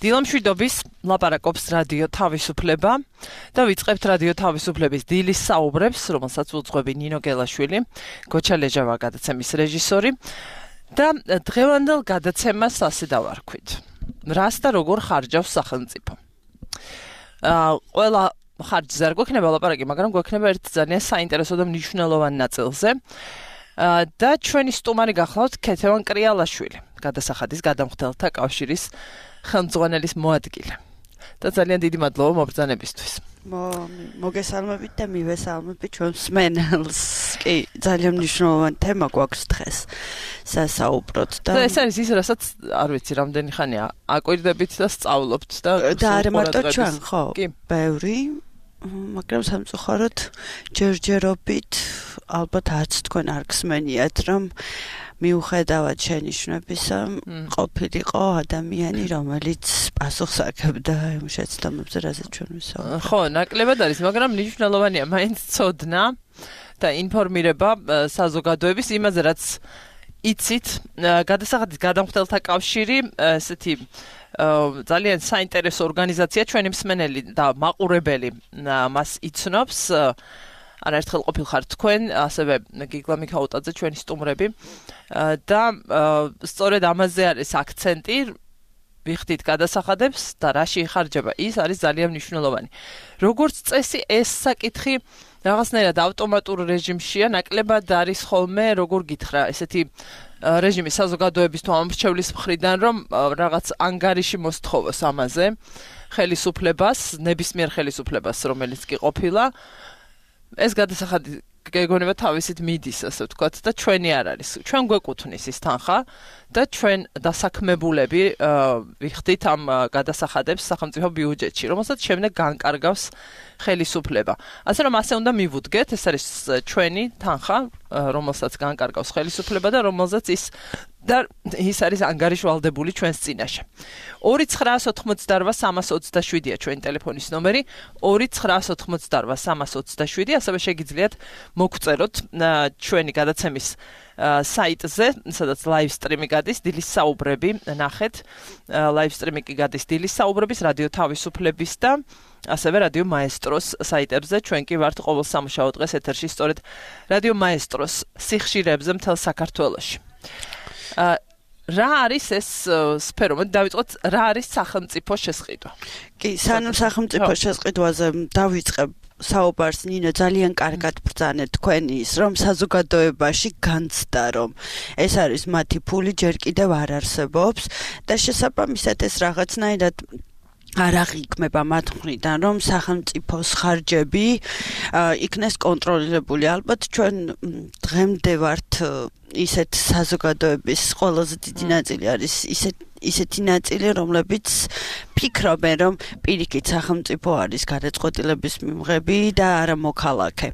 დილამშვიდობის ლაპარაკობს რადიო თავისუფლება და ვიწყებთ რადიო თავისუფლების დილის საუბრებს, რომელსაც უძღვები ნინო გელაშვილი, გოჩა ლეჟავა გადაცემის რეჟისორი და დღევანდელ გადაცემას ასე დავარქვით. რას და როგორ ხარჯავს სახელმწიფო? ყველა ხარჯზე არ გვექნება ლაპარაკი, მაგრამ გვექნება ერთ ძალიან საინტერესო და მნიშვნელოვან ნაწილზე. და ჩვენი სტუმარი გახლავთ ქეთევან კრიალაშვილი, გადასახადის გადამხდელთა კავშირის ხელმძღვანელის მოადგილე. და ძალიან დიდი მადლობა მობრძანებისთვის. მოგესალმებით და მივესალმებით ჩვენ მსმენელს. კი, ძალიან მნიშვნელოვანი თემა გვაქვს დღეს სასაუბროთ და ეს არის ის, რასაც არ ვიცი, რამდენი ხანია აკვირდებით და სწავლობთ და არა მარტო ჩვენ, ხო? კი, ბევრი, მაგრამ სამწუხაროდ ჯერჯერობით ალბათ არც თქვენ არ გსმენიათ, რომ მიუხედავად შენიშვნებისა, ყოფილიყო ადამიანი, რომელიც პასუხს აკებდა იმ შეცდომებზე, რასაც ჩვენ ვისაუბრებთ. ხო, ნაკლებად არის, მაგრამ მნიშვნელოვანია მაინც ცოდნა და ინფორმირება საზოგადოების იმაზე, რაც იცით, გადასახადის გადამხდელთა კავშირი, ესეთი ძალიან საინტერესო ორგანიზაცია, ჩვენი მსმენელი და მაყურებელი მას იცნობს. არაერთხელ ყოფილხართ თქვენ, ასევე გიგლა მიქაუტაძე, ჩვენი სტუმრები და სწორედ ამაზე არის აქცენტი, ვიხდით გადასახადებს და რაში იხარჯება, ის არის ძალიან მნიშვნელოვანი. როგორც წესი, ეს საკითხი რაღაცნაირად ავტომატურ რეჟიმშია, ნაკლებად არის ხოლმე, როგორ გითხრა, ესეთი რეჟიმი საზოგადოების თუ ამრჩევლის მხრიდან, რომ რაღაც ანგარიში მოსთხოვოს ამაზე, ხელისუფლებას, ნებისმიერ ხელისუფლებას, რომელიც კი ყოფილა. ეს გადასახადი გეგონება თავისით მიდის, ასე ვთქვათ, და ჩვენი არ არის. ჩვენ გვეკუთვნის ის თანხა და ჩვენ დასაქმებულები ვიხდით ამ გადასახადებს სახელმწიფო ბიუჯეტში, რომელსაც შემდეგ განკარგავს ხელისუფლება. ასე რომ ასე უნდა მივუდგეთ, ეს არის ჩვენი თანხა, რომელსაც განკარგავს ხელისუფლება და რომელზეც ის არის ანგარიშვალდებული ჩვენს წინაშე. 2988327-ია ჩვენი ტელეფონის ნომერი, 2988327, ასევე შეგიძლიათ მოგწეროთ ჩვენი გადაცემის საიტზე, სადაც live stream-ი გადის, დილის საუბრები ნახეთ. live stream-ი კი გადის დილის საუბრების, რადიო თავისუფლების და ასევე რადიო მაესტროს საიტებზე. ჩვენ კი ვართ ყოველ სამუშაო დღეს ეთერში, სწორედ რადიო მაესტროს სიხშირეებზე მთელ საქართველოში. რა არის ეს სფერო? დავიწყოთ, რა არის სახელმწიფო შესყიდვა? კი, სანამ სახელმწიფო შესყიდვაზე დავიწყებ საუბარს, ნინო, ძალიან კარგად ბრძანეთ თქვენი ის, რომ საზოგადოებაში განცდა, რომ ეს არის მათი ფული, ჯერ კიდევ არ არსებობს და შესაბამისად ეს რაღაცნაირად არ აღიქმება მათ მხრიდან, რომ სახელმწიფოს ხარჯები იქნეს კონტროლირებული. ალბათ ჩვენ დღემდე ვართ ისეთ საზოგადოების ყველაზე დიდი ნაწილი არის ისეთი ნაწილი, რომლებიც ფიქრობენ, რომ პირიქით სახელმწიფო არის გადაწყვეტილების მიმღები და არა მოქალაქე.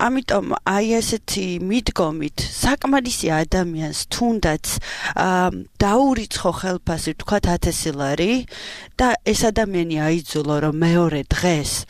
ამიტომ აი ესეთი მიდგომით საკმარისი ადამიანს თუნდაც დაურიცხო ხელფასი, ვთქვათ 1000 ლარი და ეს ადამიანი აიძულო, რომ მეორე დღეს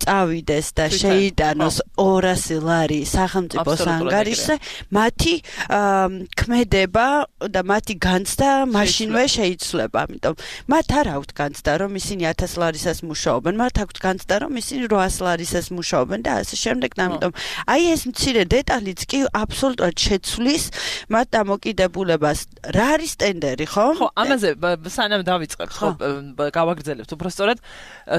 წავიდეს და შეიტანოს 200 ლარი სახელმწიფოს ანგარიშზე, მათი ქმედება და მათი განცდა მაშინვე შეიცვლება. ამიტომ მათ არ აქვთ განცდა, რომ ისინი 1000 ლარისას მუშაობენ, მათ აქვთ განცდა, რომ ისინი 800 ლარისას მუშაობენ და ასე შემდეგ. ამიტომ აი ეს მცირე დეტალიც კი აბსოლუტურად შეცვლის მათ დამოკიდებულებას. რა არის ტენდერი, ხო? ხო, ამაზე სანამ დავიწყებთ, ხო, გავაგრძელებთ უბრალოდ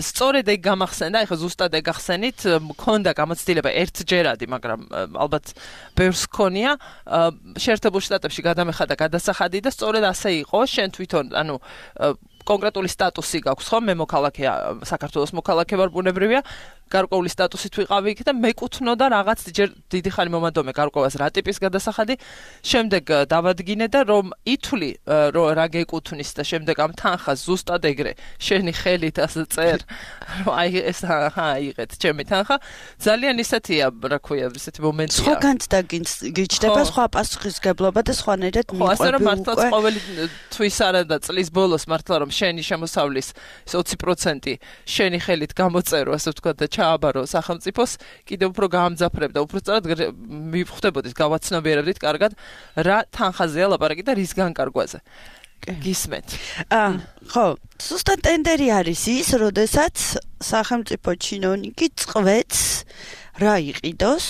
სწორედ ეგ გამახსენდა, ეხლა ზუსტად ეგ ახსენით, მქონდა გამოცდილება ერთჯერადი, მაგრამ ალბათ ბევრს ქონია შეერთებულ შტატებში გადამეხადა გადასახადი და სწორედ ასე იყო, შენ თვითონ, ანუ კონკრეტული სტატუსი გაქვს, ხო? მე მოქალაქეა, საქართველოს მოქალაქე ვარ, ბუნებრივია, გარკვეული სტატუსით ვიყავი იქ და მეკუთვნოდა რაღაც დიდი ხანი მომადომე გარკვევას რა ტიპის გადასახადი, შემდეგ დავადგინე და რომ ითვლი რა გეკუთვნის და შემდეგ ამ თანხას ზუსტად ეგრე შენი ხელით ასე წერ, რომ აი ეს აიღეთ ჩემი თანხა, ძალიან ისეთია, რა ქვია, ისეთი მომენტია. სხვა განცდა გიჩნდება, სხვა პასუხისგებლობა და სხვანაირად მიყვები უკვე. ხო, ასე რომ მართლაც ყოველი თვის არა და წლის ბოლოს მართლა რომ შენი შემოსავლის 20% შენი ხელით გამოწერო, ასე ვთქვათ და ჩააბარო სახელმწიფოს, კიდევ უფრო გაამძაფრებდა, უფრო სწორად მივხვდებოდით, გავაცნობიერებდით კარგად, რა თანხაზეა ლაპარაკი და რის განკარგვაზე. გისმენთ. ხო, ზუსტად ტენდერი არის ის, როდესაც სახელმწიფო ჩინოვნიკი წყვეტს რა იყიდოს,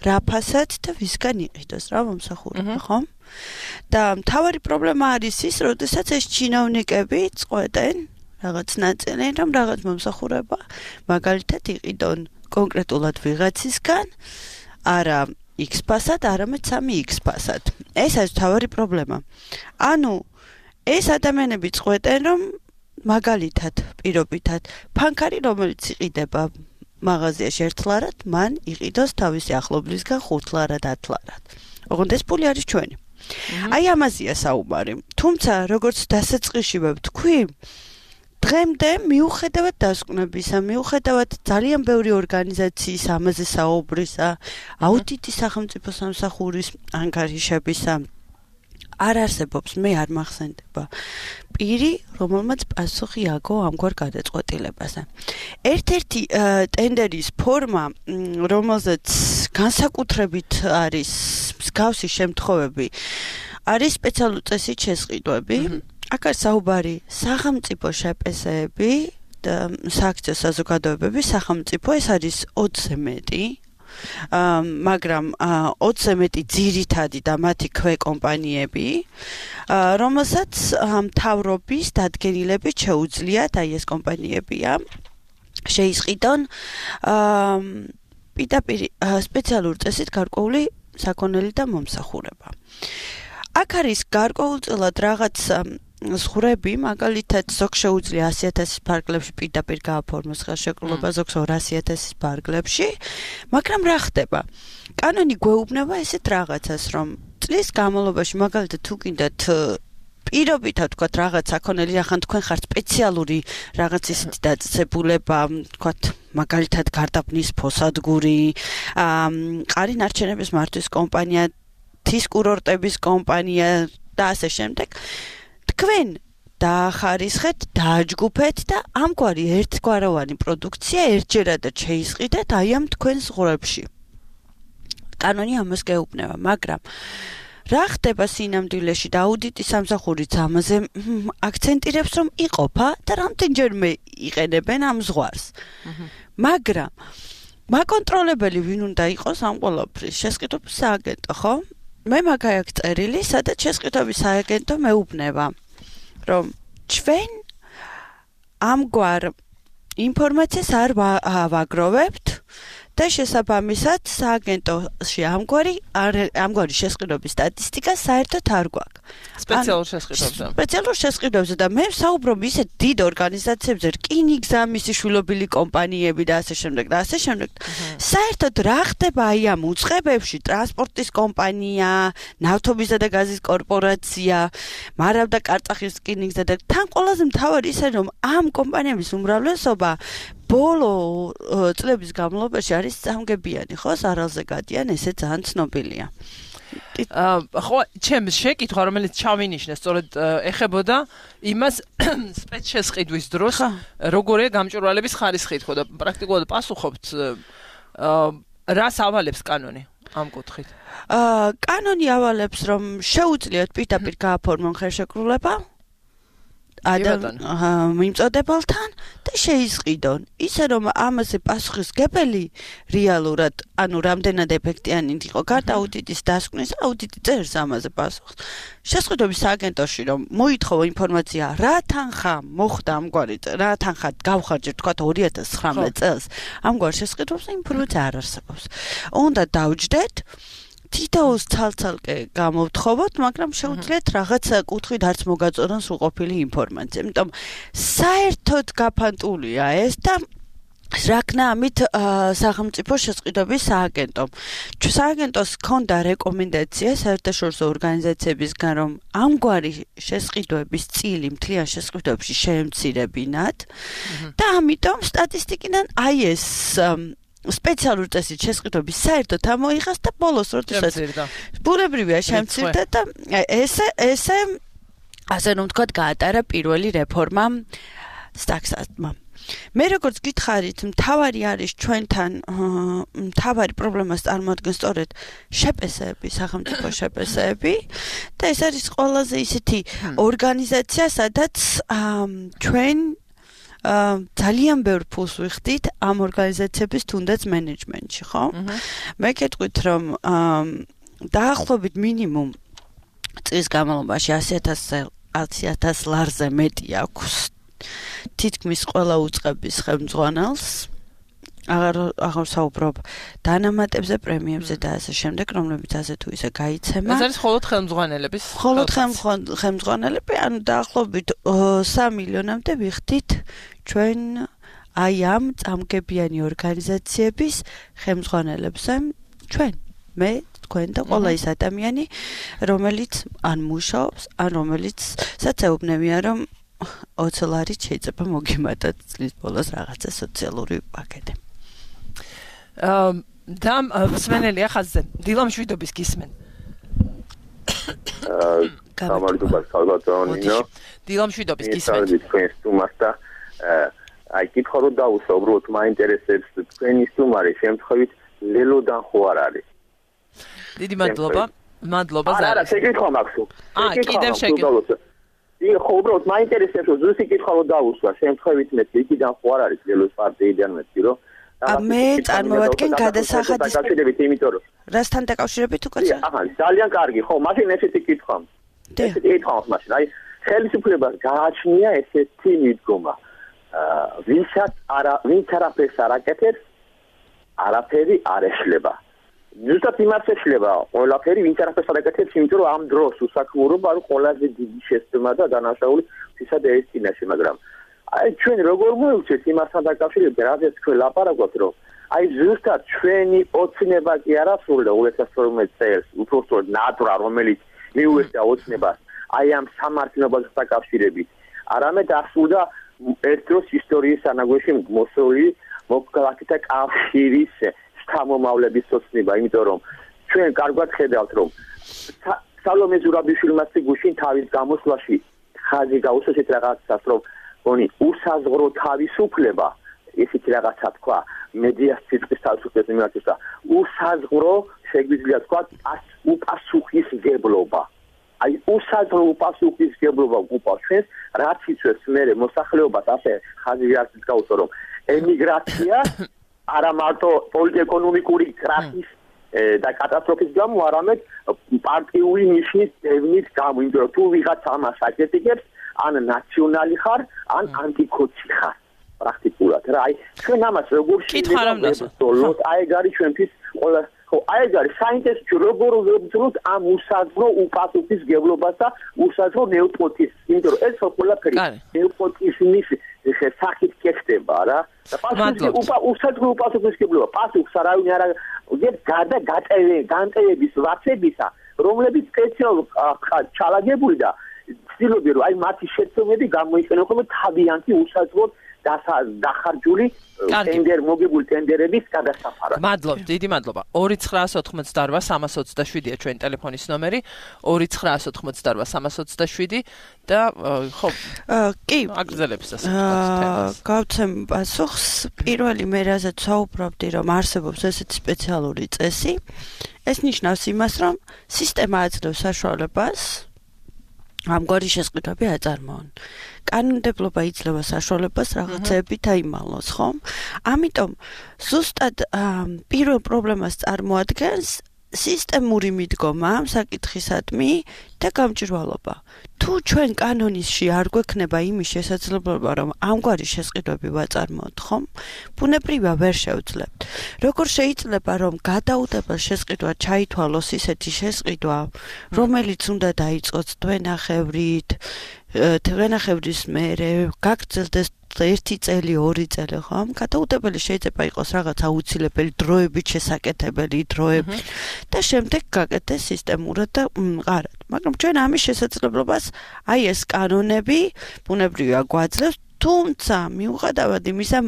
რა ფასად და ვისგან იყიდოს, რა მომსახურება, ხო? და მთავარი პრობლემა არის ის, როდესაც ეს ჩინოვნიკები წყვეტენ რაღაც ნაწილი, რომ რაღაც მომსახურება მაგალითად იყიდონ კონკრეტულად ვიღაცისგან, არა X ფასად, არამედ 3X ფასად. ეს არის მთავარი პრობლემა. ანუ ეს ადამიანები წყვეტენ, რომ მაგალითად, პირობითად, ფანქარი, რომელიც იყიდება მაღაზიაში 1 ლარად, მან იყიდოს თავისი ახლობლისგან 5 ლარად, 10 ლარად. ოღონდ ეს პული არის ჩვენი. აი ამაზეა საუბარი. თუმცა, როგორც დასაწყისში ვთქვი, დღემდე მიუხედავად დასკვნებისა, მიუხედავად ძალიან ბევრი ორგანიზაციის ამაზე საუბრისა, აუდიტის სახელმწიფო სამსახურის ანგარიშებისა, არ არსებობს, მე არ მახსენდება პირი, რომელმაც პასუხი აგო ამგვარ გადაწყვეტილებაზე. ერთ-ერთი ტენდერის ფორმა, რომელზეც განსაკუთრებით არის მსგავსი შემთხვევები, არის სპეციალური წესით შესყიდვები. აქ არის საუბარი სახელმწიფო შეპესეები და სააქციო საზოგადოებები, სახელმწიფო ეს არის 20-ზე მეტი. მაგრამ 20-ზე მეტი ძირითადი და მათი ქვეკომპანიები, რომელსაც მთავრობის დადგენილებით შეუძლიათ, აი ეს კომპანიებია, შეისყიდონ პირდაპირ სპეციალური წესით გარკვეული საქონელი და მომსახურება. აქ არის გარკვეულწილად რაღაც ზღვრები, მაგალითად, ზოგ შეუძლია 100,000 ფარგლებში პირდაპირ გააფორმოს ხელშეკრულება, ზოგს 200,000 ფარგლებში, მაგრამ რა ხდება? კანონი გვეუბნება ესეთ რაღაცას, რომ წლის განმავლობაში, მაგალითად, თუ გინდათ პირობითად ვთქვათ რაღაც საქონელი, ახან თქვენ ხართ სპეციალური რაღაც ისეთი დაწესებულება, ვთქვათ, მაგალითად, გარდაბნის ფოსადგური, მყარი ნარჩენების მართვის კომპანია, თის კურორტების კომპანია და ასე შემდეგ. თქვენ დაახარისხეთ, დააჯგუფეთ და ამგვარი ერთგვაროვანი პროდუქცია ერთჯერადად შეისყიდეთ აი ამ თქვენ ზღვრებში. კანონი ამას გეუბნება, მაგრამ რა ხდება სინამდვილეში და აუდიტის სამსახურიც ამაზე აქცენტირებს, რომ იყოფა და რამდენჯერმე იყენებენ ამ ზღვარს. მაგრამ მაკონტროლებელი ვინ უნდა იყოს ამ ყველაფრის? შესყიდვების სააგენტო, ხო? მე მაგაი აქ წერილი, სადაც შესყიდვების სააგენტო მეუბნება, რომ ჩვენ ამგვარ ინფორმაციას არ ვაგროვებთ და შესაბამისად სააგენტოში ამგვარი შესყიდვების სტატისტიკა საერთოდ არ გვაქვს. სპეციალურ შესყიდვებზე და მე ვსაუბრობ ისეთ დიდ ორგანიზაციებზე, რკინიგზა, მისი შვილობილი კომპანიები და ასე შემდეგ და ასე შემდეგ. საერთოდ რა ხდება აი ამ უწყებებში, ტრანსპორტის კომპანია, ნავთობისა და გაზის კორპორაცია, მარავდა კარწახის რკინიგზა და თან ყველაზე მთავარი ისე რომ ამ კომპანიების უმრავლესობა ბოლო წლების განმავლობაში არის სამგებიანი, ხო, სარალზე გადიან, ესე ძალიან ცნობილია. ხო, ჩემს შეკითხვა, რომელიც ჩავინიშნე, სწორედ ეხებოდა იმას სპეცშესყიდვის დროს, როგორია გამჭვირვალების ხარისხი, თქო და პრაქტიკულად პასუხობთ, რას ავალებს კანონი ამ კუთხით? კანონი ავალებს, რომ შეუძლიათ პირდაპირ გააფორმონ ხელშეკრულება მიმწოდებელთან და შეისყიდონ. ისე რომ ამაზე პასუხისმგებელი რეალურად, ანუ რამდენად ეფექტიანი იყო გარდა აუდიტის დასკვნის, აუდიტი წერს ამაზე პასუხს. შესყიდვების სააგენტოში რომ მოითხოვო ინფორმაცია, რა თანხა მოხდა ამგვარი, რა თანხა გავხარჯეთ, თქვათ 2019 წელს, ამგვარ შესყიდვებზე ინფორმაცია არ არსებობს. უნდა დავჯდეთ თითოეულს ცალ-ცალკე გამოვთხოვოთ, მაგრამ შეუძლიათ რაღაც კუთხით არც მოგაწოდონ სრულყოფილი ინფორმაცია. იმიტომ საერთოდ გაფანტულია ეს და რაკნა ამით სახელმწიფო შესყიდვების სააგენტომ. სააგენტოს ჰქონდა რეკომენდაცია საერთაშორისო ორგანიზაციებისგან, რომ ამგვარი შესყიდვების წილი მთლიან შესყიდვებში შეემცირებინათ და ამიტომ სტატისტიკიდან აი ეს სპეციალური წესით შესყიდვების საერთოდ ამოიღეს და ბოლოს როდესაც ბუნებრივია შემცირდა და ესე ასე რომ ვთქვათ გაატარა პირველი რეფორმა სტაქსატმა. მე როგორც გითხარით, მთავარი არის ჩვენთან მთავარი პრობლემას წარმოადგენს სწორედ შეპესეები, სახელმწიფო შეპესეები და ეს არის ყველაზე ისეთი ორგანიზაცია, სადაც ჩვენ ძალიან ბევრ ფულს ვიხდით ამ ორგანიზაციების თუნდაც მენეჯმენტში, ხო? მე გეტყვით, რომ დაახლოებით მინიმუმ წლის განმავლობაში 100,000 ლარზე მეტი აქვს თითქმის ყველა უწყების ხელმძღვანელს აღარ საუბრობ დანამატებზე, პრემიებზე და ასე შემდეგ, რომლებიც ასე თუ ისე გაიცემა. ეს არის მხოლოდ ხელმძღვანელების. მხოლოდ ხელმძღვანელები, ანუ დაახლოებით 3 მილიონამდე ვიხდით ჩვენ აი ამ წამგებიანი ორგანიზაციების ხელმძღვანელებზე ჩვენ მე თქვენ და ყველა ის ადამიანი, რომელიც ან მუშაობს, ან რომელიცაც ეუბნებიან, რომ 20 ლარით შეიძლება მოგიმატოთ წლის ბოლოს რაღაცა სოციალური პაკეტი. და მსმენელი ახაზზე დილამ შვიდობის გისმენ. გამარჯობა სალვადორინო. დილამ შვიდობის გისმენ. თქვენ სტუმარს და აი კითხო რომ დაუსვა, უბრალოდ მაინტერესებს თქვენი სტუმარი შემთხვევით ლელოდან ხო არ არის? დიდი მადლობა. მადლობა ზარა. არა, შეკითხვა მაქვს. კიდევ შეკითხვა. ხო, უბრალოდ მაინტერესებს რომ ზუსტი კითხვა რომ დაუსვა, შემთხვევით მე იქიდან ხო არ არის ლელოს პარტიიდან მეტი რომ მე წარმოვადგენ გადასახადის დაკავშირებით, იმიტომ რომ რასთან დაკავშირებით უკაცრავ? აჰა, ძალიან კარგი, ხო, მაშინ ესეთი კითხვა. ესეთი კითხვა მაშინ, აი, ხელისუფლებას გააჩნია ესეთი მიდგომა. ვინც არაფერს არ აკეთებს, არაფერი არ ეშლება. ზუსტად იმას ეშლება ყველაფერი, ვინც არაფერს არ აკეთებს, იმიტომ რომ ამ დროს უსაქმურობა არის ყველაზე დიდი შეცდომა და დანაშაული ვისაც ეს წინაშე, მაგრამ აი ჩვენ როგორ მოვიქცეთ იმასთან დაკავშირებით, რადგან თქვენ ლაპარაკობთ, რომ აი ზუსტად ჩვენი ოცნება კი არ ასრულდა 2012 წელს, უბრალოდ ნატრა, რომელიც მიუერთდა ოცნებას აი ამ სამართლებასთან დაკავშირებით, არამედ ასრულდა ერთ დროს ისტორიის ანაგვეში მოსული მოქალაქეთა კავშირის შთამომავლების ოცნება, იმიტომ რომ ჩვენ კარგად ხედავთ, რომ სალომე ზურაბიშვილმა გუშინ თავის გამოსვლაში ხაზი გაუსვა ეს რაღაცას, რომ oni usazgro თავისუფლება ისეთი რაღაცა თქვა მედიას ციტყვის თავისუფლების მიმართ და usazgro შეგვიძლია თქვა უპასუხისგებლობა აი usazgro უპასუხისგებლობა უპას ჩვენს რაც იწვევს მე მოსახლეობას ასე ხაზი არც გაუსვა რომ ემიგრაცია არა მარტო პოლიტეკონომიკური კრახის და კატასტროფის გამო არამედ პარტიული ნიშნის დევნის გამო იმიტომ რომ თუ ვიღაც ამას აკეთებს ან ნაციონალი ხარ, ან ანტიკოჩი ხარ, პრაქტიკულად. რა, აი, ჩვენ ამას როგორ შევდოლოთ, აი ეგ არის ჩვენთვის ყველა, ხო, აი ეგ არის საინტერესო როგორ ვებრძოლოთ ამ უსაზღრო უპასუხისგებლობას და უსაზღრო ნეოპოტიზმს, იმიტომ რომ ეს ყველაფერი ნეოპოტიზმის სახით კეთდება რა. და უსაზღრო უპასუხისგებლობა, პასუხს არავინ არ განტევების ვაცებისა, რომლებიც სპეციალურად ჩალაგებული და ცდილობენ რომ აი მათი შეცდომები გამოიყენებინონ თავიანთი უსაზღროდ დახარჯული მოგებული ტენდერების გადასაფარად. მადლობთ, დიდი მადლობა. 2988327-ია ჩვენი ტელეფონის ნომერი, 2988327 და ხო, კი, აგრძელებს ასე. გავცემ პასუხს. პირველი მე რაზეც საუბრობდი, რომ არსებობს ესეთი სპეციალური წესი. ეს ნიშნავს იმას, რომ სისტემა აძლევს საშუალებას ამგვარი შესყიდვები აწარმოონ. კანონმდებლობა იძლევა საშუალებას რაღაცეები დაიმალოს, ხომ? ამიტომ ზუსტად პირველ პრობლემას წარმოადგენს სისტემური მიდგომა საკითხისადმი და გამჭვირვალობა. თუ ჩვენ კანონისში არ გვექნება იმის შესაძლებლობა, რომ ამგვარი შესყიდვები ვაწარმოოთ, ხომ? ბუნებრივია ვერ შევძლებთ. როგორ შეიძლება, რომ გადაუდებელ შესყიდვად ჩაითვალოს ისეთი შესყიდვა, რომელიც უნდა დაიწყოს თვენახევრის მერე, გაგრძელდეს 1 წელი, 2 წელი, ხომ? გადაუდებელი შეიძლება იყოს რაღაც აუცილებელი დროებით შესაკეთებელი დროები და შემდეგ გაკეთდეს სისტემურად და მყარად. მაგრამ ჩვენ ამის შესაძლებლობას აი ეს კანონები ბუნებრივია გვაძლევს, თუმცა მიუხედავად იმისა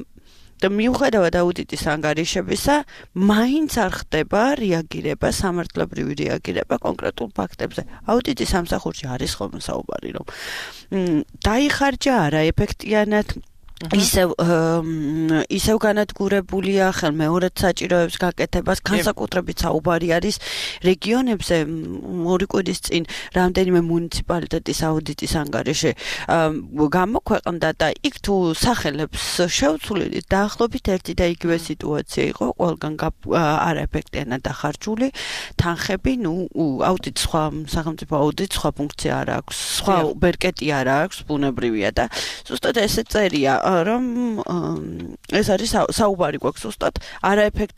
და მიუხედავად აუდიტის ანგარიშებისა, მაინც არ ხდება რეაგირება, სამართლებრივი რეაგირება კონკრეტულ ფაქტებზე. აუდიტის სამსახურში არის ხოლმე საუბარი, რომ დაიხარჯა არა ეფექტიანად ისევ განადგურებულია ხელმეორედ საჭიროებს გაკეთებას, განსაკუთრებით საუბარი არის რეგიონებზე. ორი კვირის წინ რამდენიმე მუნიციპალიტეტის აუდიტის ანგარიში გამოქვეყნდა და იქ თუ სახელებს შევცვლით, დაახლოებით ერთი და იგივე სიტუაცია იყო, ყველგან არაეფექტიანად დახარჯული თანხები, აუდიტ სხვა სახელმწიფო აუდიტ სხვა ფუნქცია არ აქვს, სხვა ბერკეტი არ აქვს, ბუნებრივია და ზუსტად ესე წერია რომ ეს არის საუბარი გვაქვს ზუსტად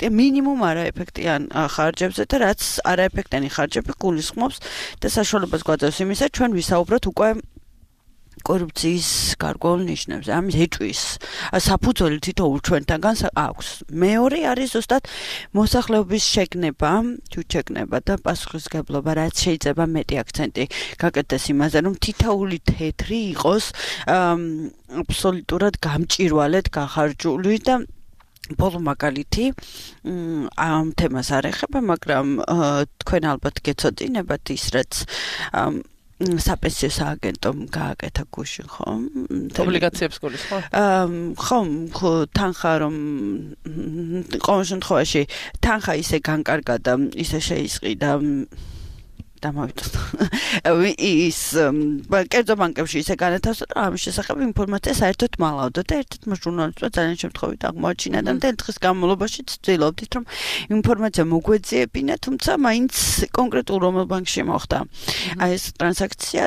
მინიმუმ არაეფექტიან ხარჯებზე და რაც არაეფექტიანი ხარჯები გულისხმობს და საშუალებას გვაძლევს იმისა, ჩვენ ვისაუბროთ უკვე კორუფციის გარკვეულ ნიშნებზე, ამის ეჭვის საფუძველი თითოეულ ჩვენთანგან აქვს. მეორე არის ზუსტად მოსახლეობის შეგნება და პასუხისმგებლობა, რაც შეიძლება მეტი აქცენტი გაკეთდეს იმაზე, რომ თითოეული თეთრი იყოს აბსოლუტურად გამჭირვალედ გახარჯული და ბოლო მაგალითი ამ თემას არ ეხება, მაგრამ თქვენ ალბათ გეცოდინებათ ის, რაც საპენსიო სააგენტომ გააკეთა გუშინ, ხო? ობლიგაციებს გულისხმობ? ხო, თანხა რომ ყოველ შემთხვევაში თანხა ისე განკარგა და ისე შეისყიდა ის კერძო ბანკებში ისე განათავსა, რომ ამის შესახებ ინფორმაცია საერთოდ მალავდა და ერთ-ერთმა ჟურნალისტმა ძალიან შემთხვევით აღმოაჩინა და მთელი დღის განმავლობაში ცდილობდით, რომ ინფორმაცია მოგვეძიებინა, თუმცა მაინც კონკრეტულ რომელ ბანკში მოხდა ეს ტრანზაქცია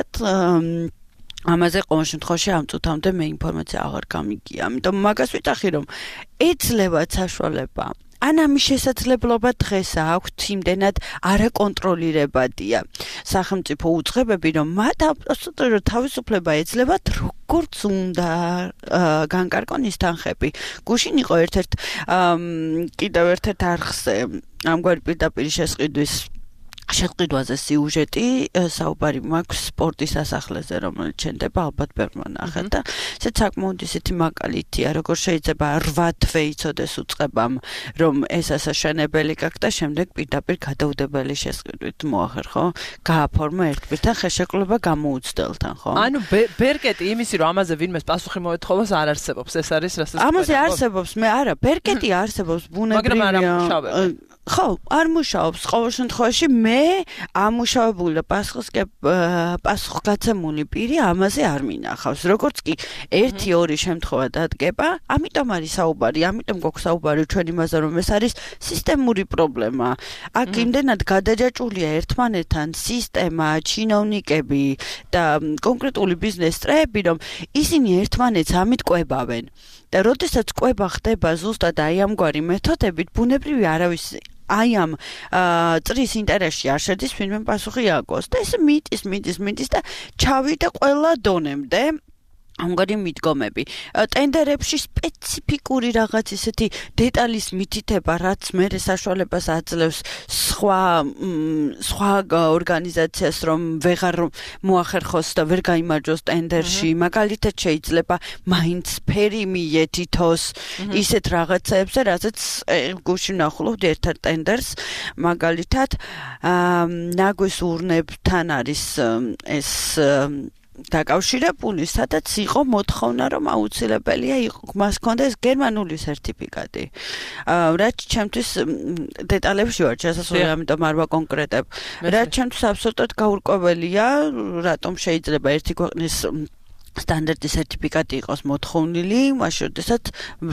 ამაზე ყოველ შემთხვევაში ამ წუთამდე მე ინფორმაცია აღარ გამიგია. ამიტომ მაგას ვიტახი, რომ ეძლევა საშუალება ან ამის შესაძლებლობა დღეს აქვთ იმდენად არაკონტროლირებადია სახელმწიფო უწყებები, რომ მათ აბსოლუტურად თავისუფლება ეძლებათ, როგორც უნდა განკარგონ ის თანხები. გუშინ იყო კიდევ ერთ-ერთ არხზე ამგვარი პირდაპირ შეყიდვაზე სიუჟეტი, საუბარი მაქვს სპორტის სასახლეზე, რომელიც შენდება ალბათ ბევრმა ნახეთ და ესეც საკმაოდ ისეთი მაგალითია, როგორ შეიძლება 8 თვე იცოდეს უწყებამ, რომ ეს ასაშენებელი გაქვს და შემდეგ პირდაპირ გადაუდებელი შესყიდვით მოახერხო, გააფორმა ერთბირთან ხელშეკრულება გამოუცდელთან, ხო? ანუ ბერკეტი იმისი, რომ ამაზე ვინმეს პასუხი მოეთხოვოს არ არსებობს, ეს არის რასაც ამაზე არსებობს, მე არა, ბერკეტი არსებობს ბუნებრივია. მაგრამ არ ამუშავებს. ხო, არ მუშაობს ყოველ შემთხვევაში მე ამუშავებული და პასუხგაცემული პირი ამაზე არ მინახავს. როგორც კი 1-2 შემთხვევა დადგება, ამიტომ არის საუბარი, ამიტომ გვაქვს საუბარი ჩვენ იმაზე, რომ ეს არის სისტემური პრობლემა. აქ იმდენად გადაჯაჭვულია ერთმანეთთან სისტემა, ჩინოვნიკები და კონკრეტული ბიზნეს წრეები, რომ ისინი ერთმანეთს ამით კვებავენ. და როდესაც კვება ხდება ზუსტად აი ამგვარი მეთოდებით, ბუნებრივი არავის აი ამ წრის ინტერესში არ შედის ვინმე პასუხი ააგოს და ეს მიდის და ჩავიდა ყველა დონემდე ამგვარი მიდგომები. ტენდერებში სპეციფიკური რაღაც ისეთი დეტალის მითითება, რაც მერე საშუალებას აძლევს სხვა ორგანიზაციას, რომ ვეღარ მოახერხოს და ვერ გაიმარჯვოს ტენდერში. მაგალითად შეიძლება მაინც ფერი მიეთითოს ისეთ რაღაცებზე, რაზეც გუშინ ნახულობდი ერთ-ერთ ტენდერს, მაგალითად ნაგვის ურნებთან არის ეს დაკავშირებული, სადაც იყო მოთხოვნა, რომ აუცილებელია მას ჰქონდეს გერმანული სერტიფიკატი. რაც ჩემთვის დეტალებში ვარ შესასვლელი, ამიტომ არ ვაკონკრეტებ. რაც ჩემთვის აბსოლუტურად გაურკვეველია, რატომ შეიძლება ერთი ქვეყნის სტანდარტი სერტიფიკატი იყოს მოთხოვნილი, მაშინ როდესაც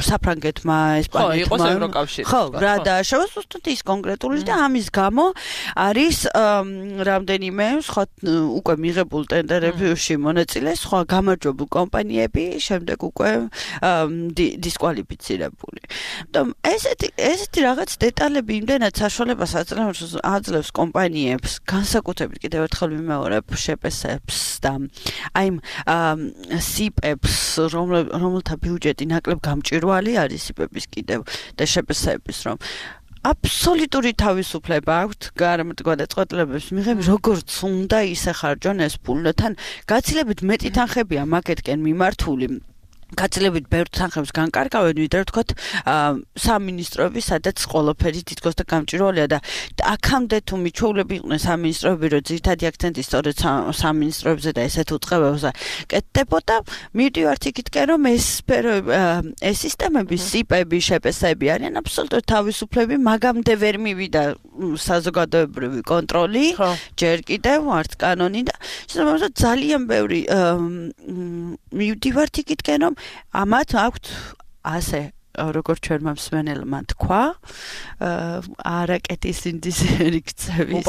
საფრანგეთმა, ესპანეთმა, იყო ევროკავშირი. ხო, რა დააშავა ზუსტად ის კონკრეტული და ამის გამო არის რამდენიმე სხვა უკვე მიღებულ ტენდერებში მონაწილე სხვა გამარჯვებულ კომპანიები შემდეგ უკვე დისკვალიფიცირებული. ესეთი რაღაც დეტალები იმდენად საშუალებას აძლევს კომპანიებს, განსაკუთრებით კიდევ ერთხელ ვიმეორებ შეპესებს და აი სიპებს, რომელთა ბიუჯეტი ნაკლებ გამჭვირვალე არის სიპების კიდევ და შეპესების, რომ აბსოლუტური თავისუფლება აქვთ გადაწყვეტილებებს მიღების, როგორც უნდა ისე ხარჯონ ეს ფული, თან გაცილებით მეტი თანხებია მაგეთკენ მიმართული. გაცილებით ბევრ თანხებს განკარგავენ, ვიდრე ვთქვათ, სამინისტროები, სადაც ყველაფერი თითქოს და გამჭვირვალეა და აქამდე თუ მიჩვეულები იყვნენ სამინისტროები, რომ ძირითადი აქცენტი სწორედ სამინისტროებზე და ესეთ უწყებებზე კეთდებოდა, მივდივართ იქითკენ, რომ ეს სისტემები, სიპები, შეპესები არიან აბსოლუტურად თავისუფლები, მაგამდე ვერ მივიდა საზოგადოებრივი კონტროლი, ჯერ კიდევ არც კანონი და შესაბამისად ძალიან ბევრი მივდივართ იქითკენ, რომ ამათ აქვთ ასე როგორც ჩვენმა მსმენელმა თქვა, არაკეთის ინდისერი ქცევის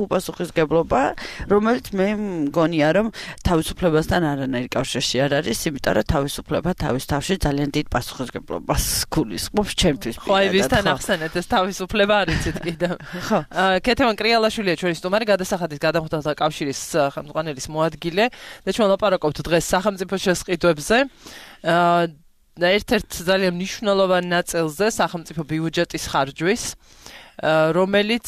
უპასუხისმგებლობა, რომელიც მე მგონია, რომ თავისუფლებასთან არანაირი კავშირში არ არის, იმიტომ რომ თავისუფლება თავის თავში ძალიან დიდ პასუხისმგებლობას გულისხმობს ჩემთვის. ხო, აი ვისთან ახსენეთ ეს თავისუფლება არიცით კიდევ. ხო. ქეთევან კრიალაშვილია ჩვენი სტუმარი, გადასახადის გადამხდელთა კავშირის ხელმძღვანელის მოადგილე და ჩვენ ლაპარაკობთ დღეს სახელმწიფო შესყიდვებზე. ერთ-ერთ ძალიან მნიშვნელოვან ნაწილზე სახელმწიფო ბიუჯეტის ხარჯვის, რომელიც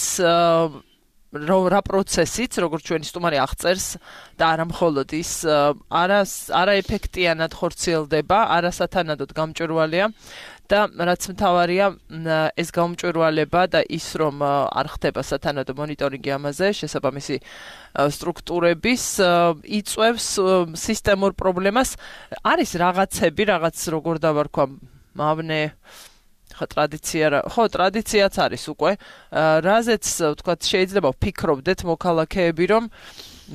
რა პროცესიც, როგორც ჩვენი სტუმარი აღწერს და არა მხოლოდ ის არაეფექტიანად ხორციელდება, არასათანადოდ გამჭვირვალეა და რაც მთავარია ეს გამჭვირვალება და ის რომ არ ხდება სათანადო მონიტორინგი ამაზე, შესაბამისი სტრუქტურების იწვევს სისტემურ პრობლემას. არის რაღაცები, რაღაც როგორ დავარქვა, მავნე ტრადიციაც არის უკვე, რაზეც ვთქვათ შეიძლება ვფიქრობდეთ მოქალაქეები, რომ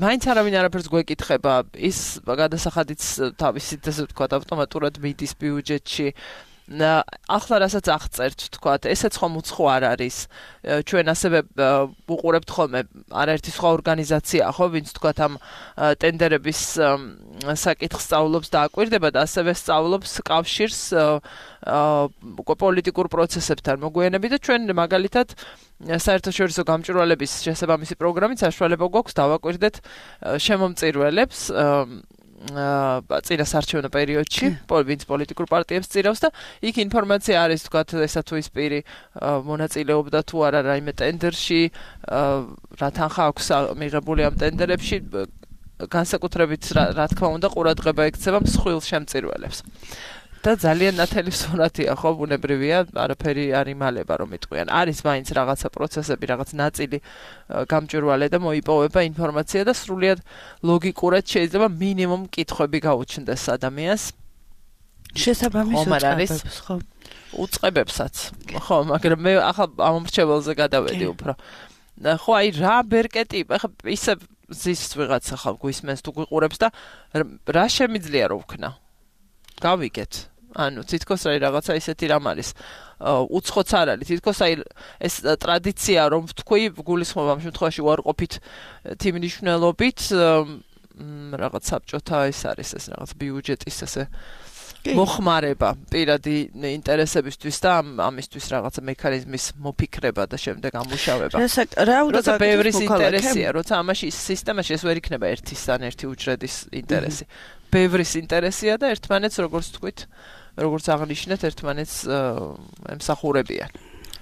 მაინც არავინ არაფერს გვეკითხება, ის გადასახადიც თავისით ესე ვთქვათ ავტომატურად მიდის ბიუჯეტში. ახლა რასაც აღწერთ, ვთქვათ, ესეც ხომ უცხო არ არის. ჩვენ ასევე უყურებთ ხოლმე არაერთი სხვა ორგანიზაცია, ხო, ვინც ვთქვათ ამ ტენდერების საკითხს სწავლობს და აკვირდება და ასევე სწავლობს კავშირს პოლიტიკურ პროცესებთან მოგვიანებით და ჩვენ მაგალითად საერთაშორისო გამჭვირვალების შესაბამისი პროგრამით საშუალება გვაქვს დავაკვირდეთ შემომწირველებს წინა საარჩევნო პერიოდში, ვინც პოლიტიკურ პარტიებს წირავს და იქ ინფორმაცია არის, თქვათ, ესა თუ ის პირი მონაწილეობდა თუ არა რაიმე ტენდერში, რა თანხა აქვს მიღებული ამ ტენდერებში, განსაკუთრებით რა თქმა უნდა ყურადღება ექცევა მსხვილ შემწირველებს. და ძალიან ნათელი სურათია, ხო, ბუნებრივია, არაფერი არ იმალება რომ იტყვიან. არის მაინც რაღაცა პროცესები, რაღაც ნაწილი გამჭვირვალე და მოიპოვება ინფორმაცია და სრულიად ლოგიკურად შეიძლება მინიმუმ კითხვები გაუჩნდეს ადამიანს. შესაბამის უწყებებს, ხო. უწყებებსაც. ხო, მაგრამ მე ახლა ამომრჩეველზე გადავედი უფრო. ხო, აი რა ბერკეტი, ახლა ისე ზის ვიღაცა ხალხ გვისმენს თუ გვიყურებს და რა შემიძლია რომ ვქნა? გავიგეთ. ანუ თითქოს რაღაცა ისეთი რამ არის. უცხოც არ არის. თითქოს აი ეს ტრადიცია რომ ვთქვი, გულისხმობ ამ შემთხვევაში უარყოფით თემნიშნულობით რაღაც საბჭოთა ეს არის ეს რაღაც ბიუჯეტის ესე მოხმარება პირადი ინტერესებისთვის და ამისთვის რაღაცა მექანიზმის მოფიქრება და შემდეგ ამუშავება. როცა ბევრის ინტერესია, როცა ამაში სისტემაში ეს ვერ იქნება ერთისთან ერთი უჯრედის ინტერესი. ბევრის ინტერესია და ერთმანეთს როგორც თქვით, როგორც აღნიშნეთ, ერთმანეთს ემსახურებიან.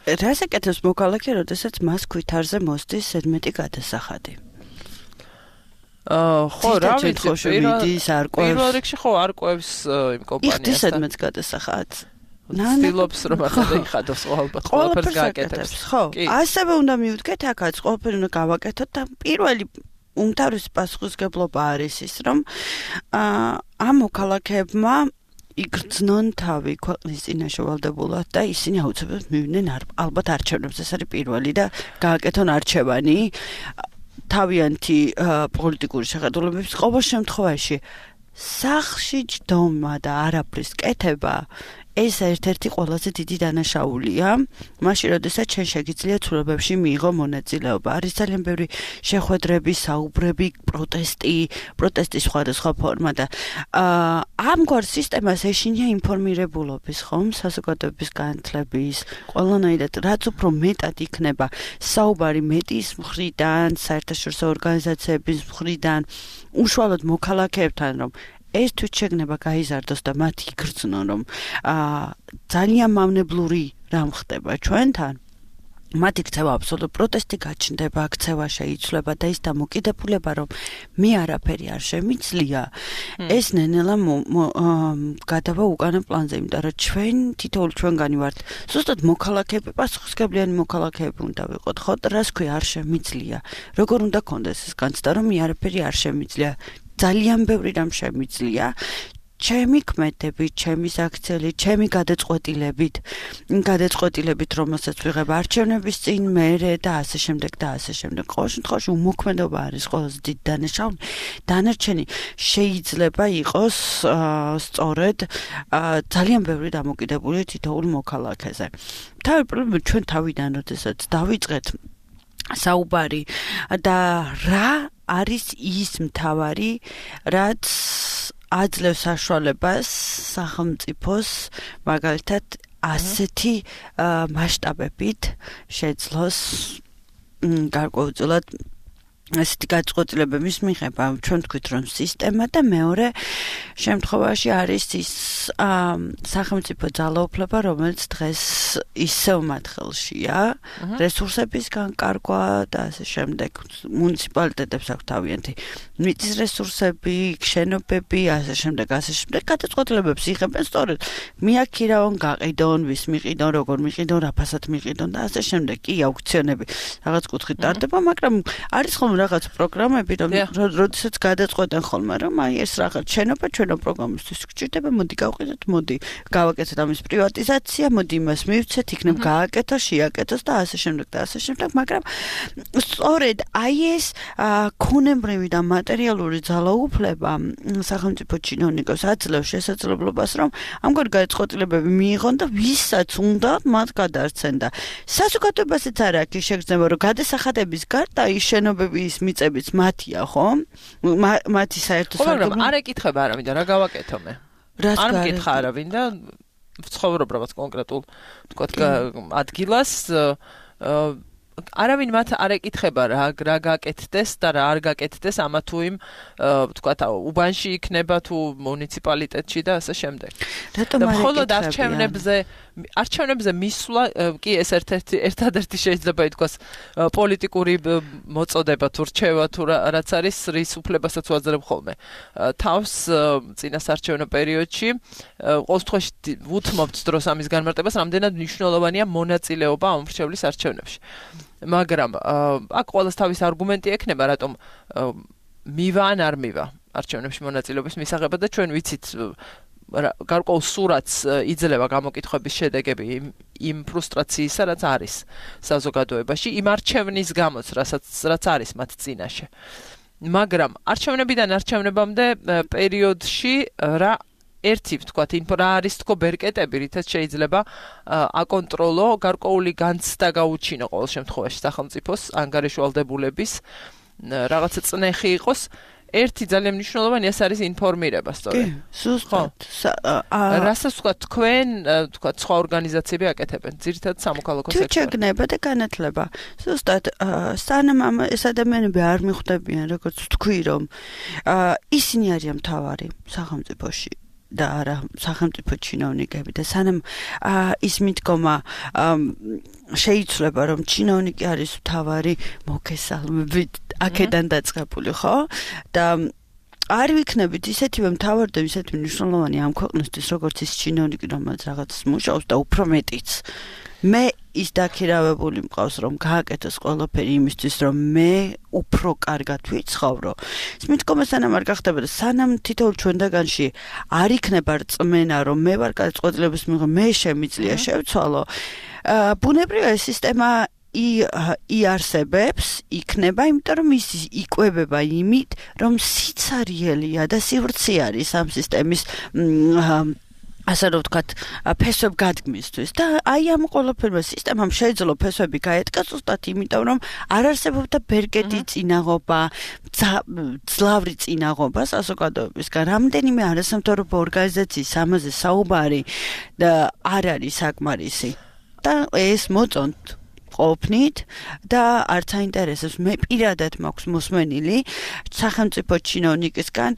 რას აკეთებს მოქალაქე, როდესაც მას ქვითარზე მოსდის ზედმეტი გადასახადი? ხო, რა ვიცი, პირველ რიგში ხო არკვევს იმ კომპანიასთან. იხდის ზედმეტ გადასახადს. ნანდილობს რომ ახადიხადოს ყველაფერს გააკეთებს. ხო, ასევე უნდა მივდგეთ აქაც, ყველაფერი უნდა გავაკეთოთ და პირველი უმთავრესი პასუხისმგებლობა არის ის, რომ ამ მოქალაქეებმა იგრძნონ თავი ქვეყნის წინაშე ვალდებულად და ისინი აუცილებლად მივიდნენ ალბათ არჩევნებს. ეს არის პირველი და გააკეთონ არჩევანი თავიანთი პოლიტიკური შეხედულებების ყოველ შემთხვევაში. სახლში ჯდომა და არაფრის კეთება ეს ერთ-ერთი ყველაზე დიდი დანაშაულია. მაშინ, როდესაც ჩვენ შეგიძლია ცვლილებებში მიიღო მონაწილეობა. არის ძალიან ბევრი შეხვედრები, საუბრები, პროტესტის სხვადასხვა ფორმა და ამგვარ სისტემას ეშინია ინფორმირებულობის, ხომ, საზოგადოების განათლების, ყველანაირად, რაც უფრო მეტად იქნება საუბარი მედიის მხრიდან, საერთაშორისო ორგანიზაციების მხრიდან, უშუალოდ მოქალაქეებთან, რომ ეს თვითშეგნება გაიზარდოს და მათ იგრძნონ, რომ ძალიან მავნებლური რამ ხდება ჩვენთან. მათი ქცევა აბსოლუტურად პროტესტი გაჩნდება, ქცევა შეიცვლება და ის დამოკიდებულება, რომ მე არაფერი არ შემიძლია, ეს ნენელა გადავა უკანა პლანზე, იმიტომ რომ ჩვენ თითოეული ჩვენგანი ვართ ზუსტად მოქალაქეები, პასუხისმგებლიანი მოქალაქეები უნდა ვიყოთ, ხო? რას ქვია არ შემიძლია? როგორ უნდა კონდეს ეს განცდა, რომ მე არაფერი არ შემიძლია? ძალიან ბევრი რამ შემიძლია. ჩემი ქმედებით, ჩემი საქციელი, ჩემი გადაწყვეტილებით, რომელსაც ვიღებ არჩევნების წინ, მერე და ასე შემდეგ და ასე შემდეგ. ყოველ შემთხვევაში უმოქმედობა არის ყველაზე დიდი დანაშაული. დანარჩენი შეიძლება იყოს სწორედ ძალიან ბევრი დამოკიდებული თითოეულ მოქალაქეზე. თავი პრობლემა ჩვენ თავიდან როდესაც დავიწყეთ საუბარი და რა არის ის მთავარი, რაც აძლევს საშუალებას სახელმწიფოს მაგალითად ასეთი მასშტაბებით შეძლოს გარკვეულწილად ასეთი გადაწყვეტილებების მიღება. ჩვენ თქვით რომ სისტემა და მეორე შემთხვევაში არის ის სახელმწიფო ძალაუფლება, რომელიც დღეს ისევ მათ ხელშია, რესურსების განკარგვა და ასე შემდეგ. მუნიციპალიტეტებს აქვს თავიანთი მიწის რესურსები, შენობები, ასე შემდეგ. გადაწყვეტილებებს იღებენ სწორედ მიაქირავონ, გაყიდონ, ვის მიყიდონ, როგორ მიყიდონ, რა ფასად მიყიდონ და ასე შემდეგ. კი, აუქციონები რაღაც კუთხით ტარდება, მაგრამ არის ხოლმე რაღაც პროგრამები, როდესაც გადაწყვეტენ ხოლმე, რომ აი ეს რაღაც შენობა ჩვენო პროგრამისთვის გჭირდება, მოდი გავყიდოთ, მოდი გავაკეთოთ ამის პრივატიზაცია, მოდი იმას მივცეთ, იქნებ გააკეთოს, შეაკეთოს და ასე შემდეგ და ასე შემდეგ, მაგრამ სწორედ აი ეს ქონებრივი და მატერიალური ძალაუფლება სახელმწიფო ჩინოვნიკებს აძლევს შესაძლებლობას, რომ ამგვარი გადაწყვეტილებები მიიღონ და ვისაც უნდა მათ გადაარჩენ და საზოგადოებასაც არ აქვს შეგრძნება, რომ გადასახადების გარდა ის შენობები ის მიწებიც მათია, ხო? მათი საერთო სარგებლობა. არ ეკითხება არავინ და რა გავაკეთო მე? არ მეკითხა არავინ და ვცხოვრობ რაღაც კონკრეტულ თქვათ ადგილას არავინ მათ არ ეკითხება რა გაკეთდეს და რა არ გაკეთდეს ამა თუ იმ თქვათ უბანში იქნება თუ მუნიციპალიტეტში და ასე შემდეგ. რატომ არ მხოლოდ არჩევნებზე მისვლა კი ეს ერთადერთი შეიძლება ითქვას პოლიტიკური მოწოდება თუ რჩევა თუ რაც არის რის უფლებასაც ვაძლევ ხოლმე. თავს წინასარჩევნო პერიოდში ყოველ შემთხვევაში ვუთმობთ დროს ამის განმარტებას, რამდენად მნიშვნელოვანია მონაწილეობა ამომრჩევლის არჩევნებში. მაგრამ აქ ყოველს თავის არგუმენტი ექნება, რატომ მივა ან არ მივა არჩევნებში მონაწილეობის მისაღებად და ჩვენ ვიცით გარკვეულ სურათს იძლევა გამოკითხების შედეგები იმ ფრუსტრაციისა, რაც არის საზოგადოებაში, იმ არჩევნის გამოც, რაც არის მათ წინაშე. მაგრამ არჩევნებიდან არჩევნებამდე პერიოდში რა ერთი ვთქვათ, რა არის თქო ბერკეტები, რითაც შეიძლება აკონტროლო გარკვეული განცდა გაუჩინო ყოველ შემთხვევაში სახელმწიფოს ანგარიშვალდებულების რაღაცა წნეხი იყოს. ერთი ძალიან მნიშვნელოვანი ეს არის ინფორმირება, სწორედ. კი, ზუსტად. რასაც ვთქვათ, თქვენ, ვთქვათ, სხვა ორგანიზაციები აკეთებენ, ძირითადად სამოქალაქო სექტორი. თვითშეგნება და განათლება. ზუსტად, სანამ ეს ადამიანები არ მიხვდებიან, როგორც ვთქვი, რომ ისინი არიან მთავარი სახელმწიფოში. და არა სახელმწიფო ჩინოვნიკები და სანამ ის მიდგომა შეიცვლება, რომ ჩინოვნიკი არის მთავარი მოგესალმებით აქედან დაწყებული, ხო? და არ ვიქნებით ისეთივე მთავარი და ისეთივე მნიშვნელოვანი ამ ქვეყნისთვის, როგორც ის ჩინოვნიკი, რომელიც რაღაცას მუშაობს და უფრო მეტიც. მე ის დაქირავებული მყავს, რომ გააკეთოს ყველაფერი იმისთვის, რომ მე უფრო კარგად ვიცხოვრო. ის მიდგომა სანამ არ გახდება და სანამ თითოეულ ჩვენთაგანში არ იქნება რწმენა, რომ მე ვარ გადაწყვეტილების მიღება, მე შემიძლია შევცვალო. ბუნებრივია ეს სისტემა იარსებებს, იქნება, იმიტომ რომ ის იკვებება იმით, რომ სიცარიელია და სივრცე არის ამ სისტემის ასე რომ ვთქვათ, ფესვებ გადმისთვის და აი ამ ყველაფერმა სისტემამ შეეძლო ფესვები გაეტკას ზუსტად იმიტომ, რომ არ არსებობდა ბერკეტი წინაღობა, ძლავრი წინაღობა საზოგადოებისგან. რამდენიმე არასამთავრობო ორგანიზაციის ამაზე საუბარი და არ არის საკმარისი და ეს მოწონთ ყოფნით და არც აინტერესებს. მე პირადად მაქვს მოსმენილი სახელმწიფო ჩინოვნიკისგან,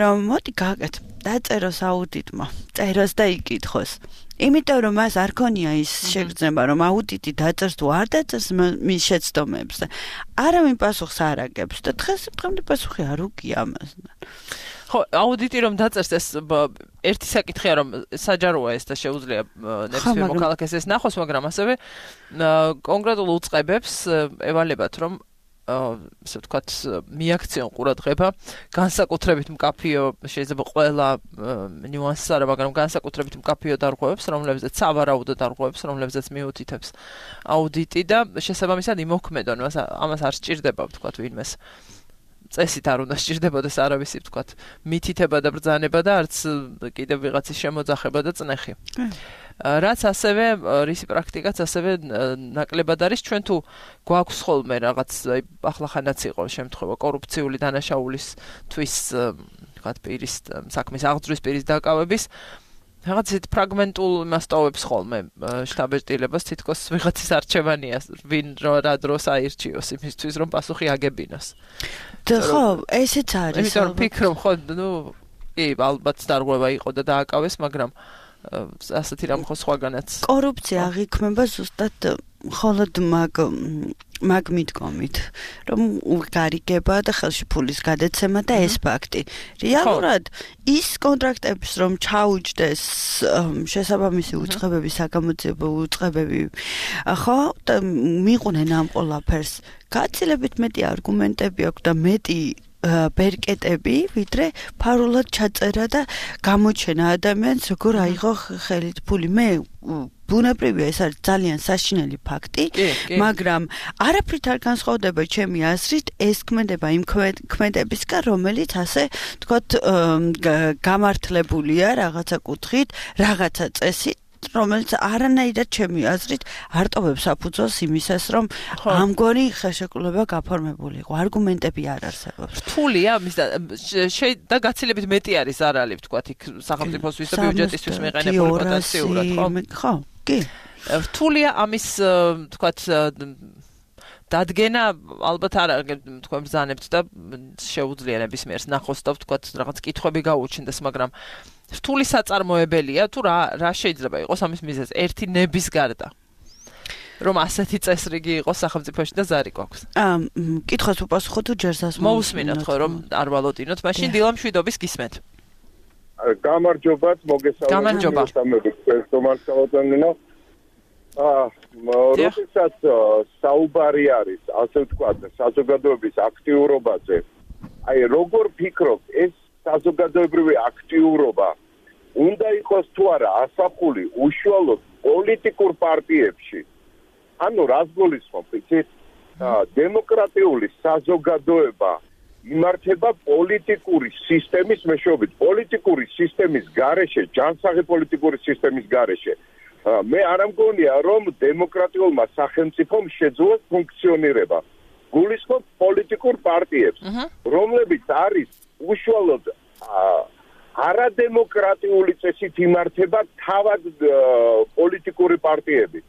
რომ მოდი გააკეთო დაწეროს აუდიტმა, წეროს და იკითხოს. იმიტომ რომ მას არ ქონია ის შეგრძნება რომ აუდიტი დაწერს თუ არ დაწერს მის შეცდომებს და არავინ პასუხს არ აგებს და დღემდე პასუხი არ უგია ამას. ხო, აუდიტი რომ დაწერს ეს ერთი საკითხია რომ საჯაროა ეს და შეუძლია ნებისმიერ მოქალაქეს ეს ნახოს, მაგრამ ასევე კონკრეტულ უწყებებს ევალებათ რომ ასე ვთქვათ, მიაქციონ ყურადღება, განსაკუთრებით მკაფიო, შეიძლება ყველა ნიუანსს არა, მაგრამ განსაკუთრებით მკაფიო დარღვევებს, რომლებზეც სავარაუდო დარღვევებს, რომლებზეც მიუთითებს აუდიტი და შესაბამისად იმოქმედონ, ამას არ სჭირდება, ვთქვათ, ვინმეს წესით არ უნდა სჭირდებოდეს არავისი, ვთქვათ, მითითება და ბრძანება და არც კიდევ ვიღაცის შემოძახება და წნეხი. რაც ასევე რისი პრაქტიკაც ასევე ნაკლებად არის ჩვენ თუ გვაქვს ხოლმე რაღაც ახლახანაც იყო შემთხვევა კორუფციული დანაშაულისთვის ვთქვათ პირის საქმის აღძვრის პირის დაკავების რაღაც ისეთ ფრაგმენტულ მასშტაბებს ხოლმე შტაბ-ეტილებას თითქოს ვიღაცის არჩევანია ვინ რა დროს აირჩიოს იმისთვის რომ პასუხი აგებინოს. ხო, ესეც არის. იმიტომ რომ ფიქრობ ხო კი ალბათ დარღვევა იყო და დააკავეს, მაგრამ ასეთი რამ ხო სხვაგანაც კორუფცია აღიქმება ზუსტად მხოლოდ მაგ მიდგომით რომ გარიგება და ხელში ფულის გადაცემა და ეს ფაქტი რეალურად ის კონტრაქტების რომ ჩაუჯდეს შესაბამისი უწყებები საგამოძიებო უწყებები ხო და მიყვნენ ამ ყველაფერს გაცილებით მეტი არგუმენტები აქვს და მეტი ბერკეტები, ვიდრე ფარულად ჩაწერა და გამოჩენა ადამიანს როგორ აიღო ხელით ფული. მე ბუნებრივია ეს არის ძალიან საშინელი ფაქტი, მაგრამ არაფრით არ განსხვავდება ჩემი აზრით ეს ქმედება იმ ქმედებისგან, რომელიც ასე თქვათ გამართლებულია რაღაცა კუთხით, რაღაცა წესით რომელიც არანაირად ჩემი აზრით არ ტოვებს საფუძველს იმისას, რომ ამგვარი ხელშეკრულება გაფორმებული იყო. არგუმენტები არ არსებობს. რთულია და გაცილებით მეტი არის ზარალი, ვთქვათ, იქ სახელმწიფოსთვის და ბიუჯეტისთვის მიყენებული პოტენციურად, ხო? ხო, კი. რთულია ამის, ვთქვათ, დადგენა ალბათ არ თქვენ ბრძანებთ და შეუძლია ნებისმიერს ნახოს და ვთქვათ, რაღაც კითხვები გაუჩნდეს, მაგრამ რთული საწარმოებელია თუ რა შეიძლება იყოს ამის მიზეზი ერთი ნების გარდა რომ ასეთი წესრიგი იყოს სახელმწიფოში და ზარი გვაქვს. კითხვას უპასუხო თუ ჯერსაც მოусმინოთ ხო რომ არ ვალოდინოთ, მაშინ დილამ შვიდობის გისმენთ. გამარჯობათ, მოგესალმებით. როდესაც საუბარი არის, ასე ვთქვათ, საზოგადოების აქტიურობაზე, აი როგორ ფიქრობთ, ეს საზოგადოებრივი აქტიურობა უნდა იყოს თუ არა ასახული უშუალოდ პოლიტიკურ პარტიებში. ანუ რას გულისხმობ, იცით? დემოკრატიული საზოგადოება იმართება პოლიტიკური სისტემის მეშვეობით. პოლიტიკური სისტემის გარეშე, ჯანსაღი პოლიტიკური სისტემის გარეშე. მე არ მგონია, რომ დემოკრატიულმა სახელმწიფომ შეძლოს ფუნქციონირება. გულისხმობ პოლიტიკურ პარტიებს, რომლებიც არის უშუალოდ არადემოკრატიული წესით იმართება თავად პოლიტიკური პარტიები.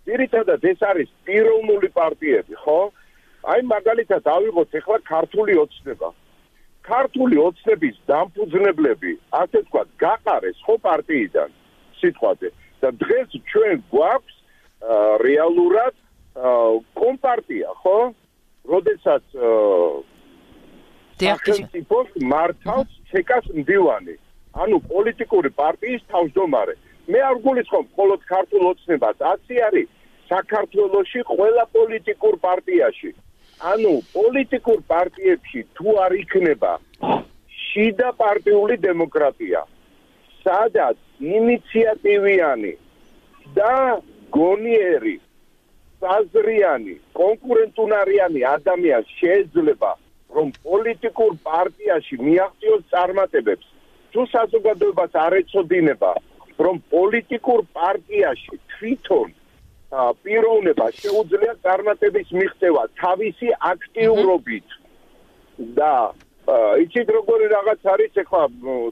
ძირითადად ეს არის პიროვნული პარტიები, ხო? აი მაგალითად ავიღოთ ახლა ქართული ოცნება. ქართული ოცნების დამფუძნებლები, ასე ვთქვათ, გაყარეს ხო პარტიიდან სიტყვაზე და დღეს ჩვენ გვაქვს რეალურად კომპარტია, ხო? როდესაც სახელმწიფოს მართავს ჩეკას მდივანი, ანუ პოლიტიკური პარტიის თავმჯდომარე. მე არ გულისხმობ მხოლოდ ქართულ ოცნებას, აცი არის საქართველოში ყველა პოლიტიკურ პარტიაში. ანუ პოლიტიკურ პარტიებში თუ არ იქნება შიდა პარტიული დემოკრატია, სადაც ინიციატივიანი და გონიერი, საზრიანი, კონკურენტუნარიანი ადამიანი შეიძლება რომ პოლიტიკურ პარტიაში მიაღწიოს წარმატებებს, თუ საზოგადოებას არ ეწოდინება, რომ პოლიტიკურ პარტიაში თვითონ პიროვნება შეუძლია წარმატების მიღწევა თავისი აქტიურობით და იცით როგორი რაღაც არის ახლა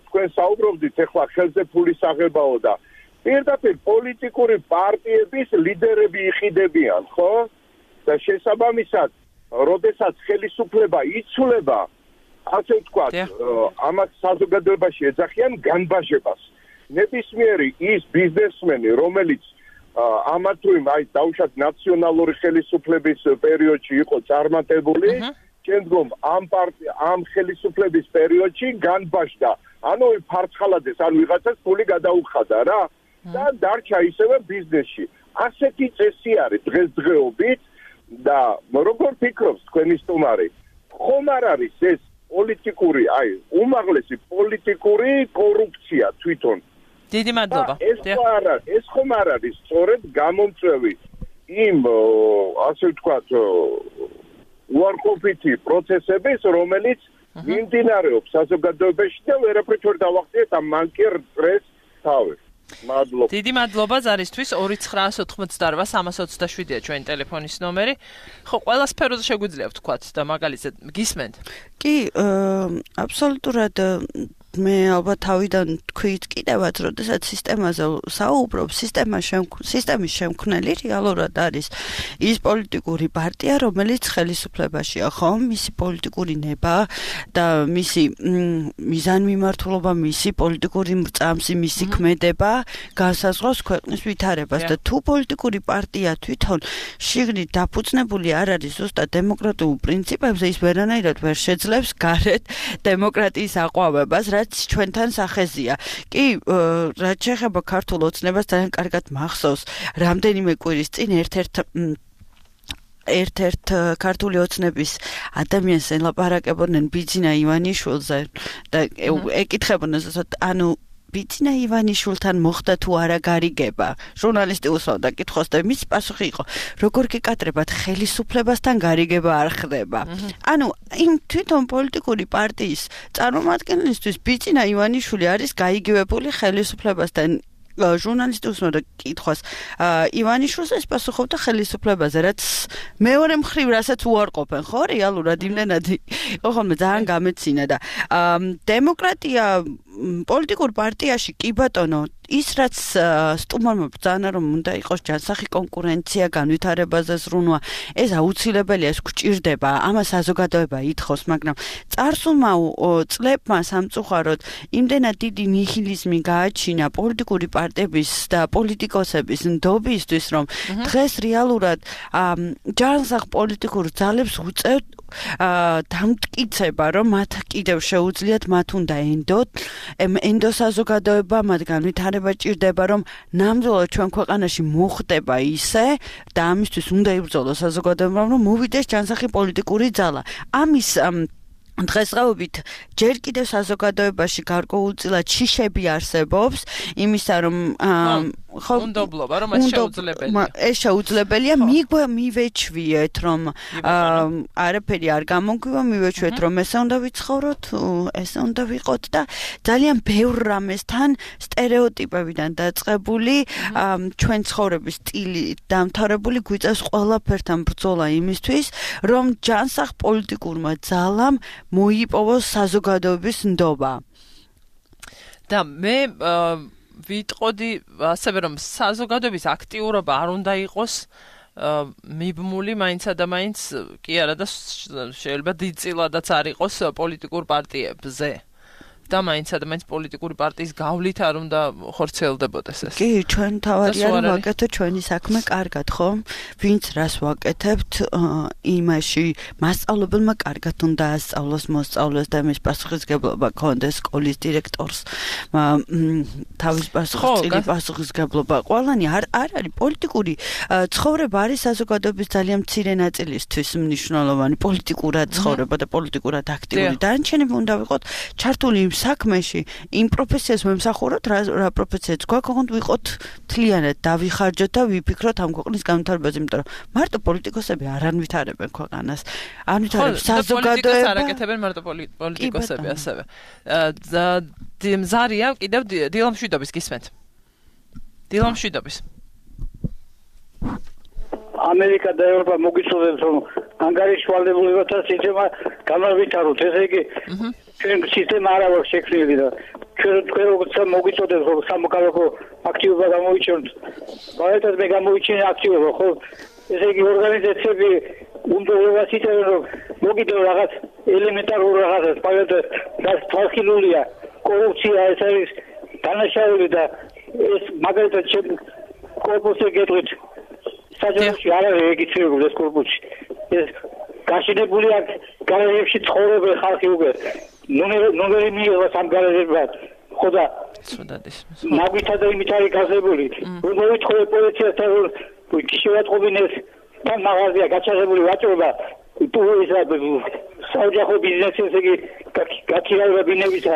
თქვენ საუბრობდით ახლა ხელზე ფულის აღებაო და პირდაპირ პოლიტიკური პარტიების ლიდერები იყიდებიან, ხო? და შესაბამისად როდესაც ხელისუფლება იცვლება, ასე ვთქვათ, ამას საზოგადოებაში ეძახიან განბაჟებას. ნებისმიერი ის ბიზნესმენი, რომელიც ამა თუ იმ აი დაუშვათ ნაციონალური ხელისუფლების პერიოდში იყო წარმატებული, შემდგომ ამ ხელისუფლების პერიოდში განბაშდა. ანუ ფარცხალაძეს ან ვიღაცას ფული გადაუხადა რა და დარჩა ისევე ბიზნესში. ასეთი წესი არის დღესდღეობით და როგორ ფიქრობს თქვენი სტუმარი? ხომ არ არის ეს პოლიტიკური, აი, უმაღლესი პოლიტიკური კორუფცია თვითონ? დიდი მადლობა. ეს ხომ არ არის სწორედ გამომწვევი იმ ასე ვთქვათ უარყოფითი პროცესების, რომელიც მიმდინარეობს საზოგადოებაში და ვერაფრით ვერ დავახციეთ ამ მანკერ წრეს თავი. მადლობა. დიდი მადლობა ზარისთვის 2988-327-ია ჩვენი ტელეფონის ნომერი. ხო, ყველა სფეროზე შეგვიძლია ვთქვათ და მაგალითად გისმენთ? კი, აბსოლუტურად მე ალბათ თავიდან თქვით კიდევაც, როდესაც სისტემაზე საუბრობ, სისტემის შემქმნელი რეალურად არის ის პოლიტიკური პარტია, რომელიც ხელისუფლებაშია, ხო? მისი პოლიტიკური ნება და მისი მიზანმიმართულობა, მისი პოლიტიკური მრწამსი, მისი ქმედება განსაზღვრავს ქვეყნის ვითარებას და თუ პოლიტიკური პარტია თვითონ შიგნით დაფუძნებული არ არის ზუსტად დემოკრატიულ პრინციპებზე, ის ვერანაირად ვერ შეძლებს გარეთ დემოკრატიის აყვავებას, რაც ჩვენთან სახეზია. კი, რაც შეეხება ქართულ ოცნებას, ძალიან კარგად მახსოვს, რამდენიმე კვირის წინ ერთ-ერთ ქართული ოცნების ადამიანს ელაპარაკებოდნენ ბიძინა ივანიშვილზე და ეკითხებოდნენ, ანუ ბიძინა ივანიშვილთან მოხდა თუ არა გარიგება? ჟურნალისტი უსვამდა კითხვას და მის პასუხი იყო, როგორ გეკატრებათ, ხელისუფლებასთან გარიგება არ ხდება. ანუ იმ თვითონ პოლიტიკური პარტიის წარმომადგენლისთვის ბიძინა ივანიშვილი არის გაიგივებული ხელისუფლებასთან. ჟურნალისტი უსვამდა კითხვას ივანიშვილს ეს პასუხობდა ხელისუფლებაზე, რაც მეორე მხრივ რასაც უარყოფენ, ხო? რეალურად იმდენად იყო ხოლმე ძალიან გამეცინა და დემოკრატია პოლიტიკურ პარტიაში კი ბატონო, ის რაც სტუმარმა ბრძანა რომ უნდა იყოს ჯანსაღი კონკურენცია, განვითარებაზე ზრუნვა, ეს აუცილებელია, ეს გვჭირდება, ამას საზოგადოება ითხოვს, მაგრამ წარსულმა წლებმა სამწუხაროდ იმდენად დიდი ნიჰილიზმი გააჩინა პოლიტიკური პარტიების და პოლიტიკოსების ნდობისთვის, რომ დღეს რეალურად ჯანსაღ პოლიტიკურ ძალებს უწევთ დამტკიცება, რომ მათ კიდევ შეუძლიათ, მათ უნდა ენდო საზოგადოება, მათ განვითარება ჭირდება, რომ ნამდვილად ჩვენ ქვეყანაში მოხდება ისე და ამისთვის უნდა იბრძოლოს საზოგადოება, რომ მოვიდეს ჯანსაღი პოლიტიკური ძალა. ამის დღესდღეობით ჯერ კიდევ საზოგადოებაში გარკვეულწილად შიშები არსებობს, იმისა რომ უნდობლობა, რომ ეს შეუძლებელია. ეს შეუძლებელია, მივეჩვიეთ, რომ არაფერი არ გამოგვივა, მივეჩვიეთ, რომ ესე უნდა ვიცხოვროთ, ესე უნდა ვიყოთ და ძალიან ბევრ რამესთან სტერეოტიპებიდან დაწყებული ჩვენ ცხოვრების სტილი დამთავრებული გვიწევს ყველაფერთან ბრძოლა იმისთვის, რომ ჯანსაღ პოლიტიკურმა ძალამ მოიპოვოს საზოგადოების ნდობა. და მე ვიტყოდი ასევე რომ საზოგადოების აქტიურობა არ უნდა იყოს მიბმული მაინცა და მაინც კი არა და შეიძლება დიდწილადაც არ იყოს პოლიტიკურ პარტიებზე. და მაინც ადამიანის პოლიტიკური პარტიის გავლით არ უნდა ხორცელდებოდეს ეს. კი, ჩვენ თავარი არის ვაკეთოთ ჩვენი საქმე კარგად, ხო? ვინც რას ვაკეთებთ, იმაში მასწავლებელმა კარგად უნდა ასწავლოს, მოსწავლოს და მის პასუხისგებლობა გქონდეს სკოლის დირექტორს. თავის პასუხისგებლობა. ყველანი არ არის პოლიტიკური ცხოვრება არის საზოგადოების ძალიან მცირე ნაწილისთვის მნიშვნელოვანი პოლიტიკურად ცხოვრება და პოლიტიკურად აქტიური. დანარჩენები უნდა ვიყოთ ჩართული საქმეში, იმ პროფესიას ვემსახუროთ, რა პროფესიაც გვაქვს, ოღონდ ვიყოთ მთლიანად დავიხარჯოთ და ვიფიქროთ ამ ქვეყნის განვითარებაზე, იმიტომ რომ მარტო პოლიტიკოსები არ ანვითარებენ ქვეყანას. ანვითარებს საზოგადოება. არ აკეთებენ მარტო პოლიტიკოსები ასევე. ზარია კიდევ დილამშვიდობის გისმენთ. დილამშვიდობის. ამერიკა და ევროპა მოგიწოდებს რომ ანგარიშვალდებულებათა სისტემა განავითაროთ, ესე იგი ჩვენ სისტემა არ აქვს შექმნილი და ჩვენ როგორც მოგიწოდებს რომ სამოქალაქო აქტივობა გამოიჩინოთ, მაგალითად მე გამოიჩინე აქტივობა, ხო? ესე იგი ორგანიზაციები უნდა ვეცადოთ რომ მოგიდო რაღაც ელემენტარულ რაღაცას, მაგალითად რაც თვალხილულია, კორუფცია, ეს არის დანაშაული და ეს მაგალითად კორპუსზე გეტყვით საჯაროში არ არის რეგისტრირებული ეს კორპუსი ეს გაშენებული აქვს გარაჟებში ცხოვრობენ ხალხი უკვე ნომერი მიიღო სამ გარაჟებად ხო და მაგითა და იმით არის გაზებული მოვითხოვე პოლიციასთან გიშევატყობინეს და მაღაზია გაჩაღებული ვაჭრობა თუ ისა საოჯახო ბიზნესი ესე იგი გაქირავება ბინებისა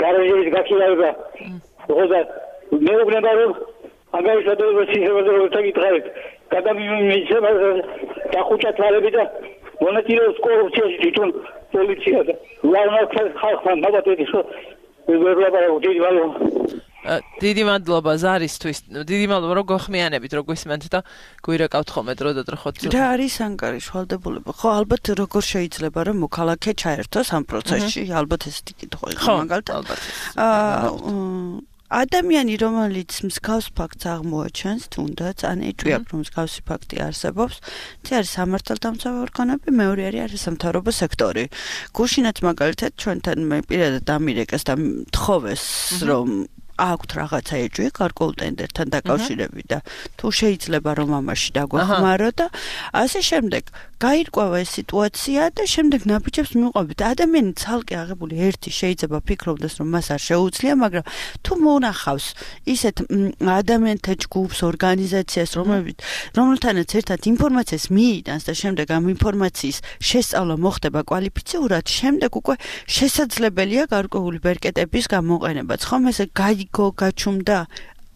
გარაჟების გაქირავება ხო და მეუბნება რომ აგარიშადოება სიხებაზე გითხარით გადამიმიცება დახუჭა თვალები და მონაწილეობს კორუფციაში თვითონ პოლიცია და ლაუნაკს ხალხთან ნაბატები ხო დიდი მადლობა ზარისთვის დიდი მადლობა რომ გახმიანებით რომ გვისმენთ და გვირეკავთ ხოლმე დროდადრო ხო რა არის ანგარიშ ვალდებულება ხო ალბათ როგორ შეიძლება რომ მოქალაქე ჩაერთოს ამ პროცესში ალბათ ესეთი კითხვა იყო მაგალითად ადამიანი რომელიც მსგავს ფაქტს აღმოაჩენს თუნდაც ან ეჭვია რომ მსგავსი ფაქტი არსებობს ეს არის სამართალდამცავი ორგანოები მეორე არის სამთავრობო სექტორი გუშინაც მაგალითად ჩვენთან მე პირადად ამირეკეს და თხოვეს რომ აქვთ რაღაცა ეჭვი გარკვეულ ტენდერთან დაკავშირებით და თუ შეიძლება რომ ამაში დაგვეხმარო და ასე შემდეგ გაირკვევა ეს სიტუაცია და შემდეგ ნაბიჯებს მივყვებით ადამიანი ცალკე აღებული ერთი შეიძლება ფიქრობდეს რომ მას არ შეუძლია მაგრამ თუ მონახავს ისეთ ადამიანთა ჯგუფს ორგანიზაციას რომელთანაც ერთად ინფორმაციას მიიტანს და შემდეგ ამ ინფორმაციის შესწავლა მოხდება კვალიფიციურად შემდეგ უკვე შესაძლებელია გარკვეული ბერკეტების გამოყენებაც ხომ ესე გაჩუმდა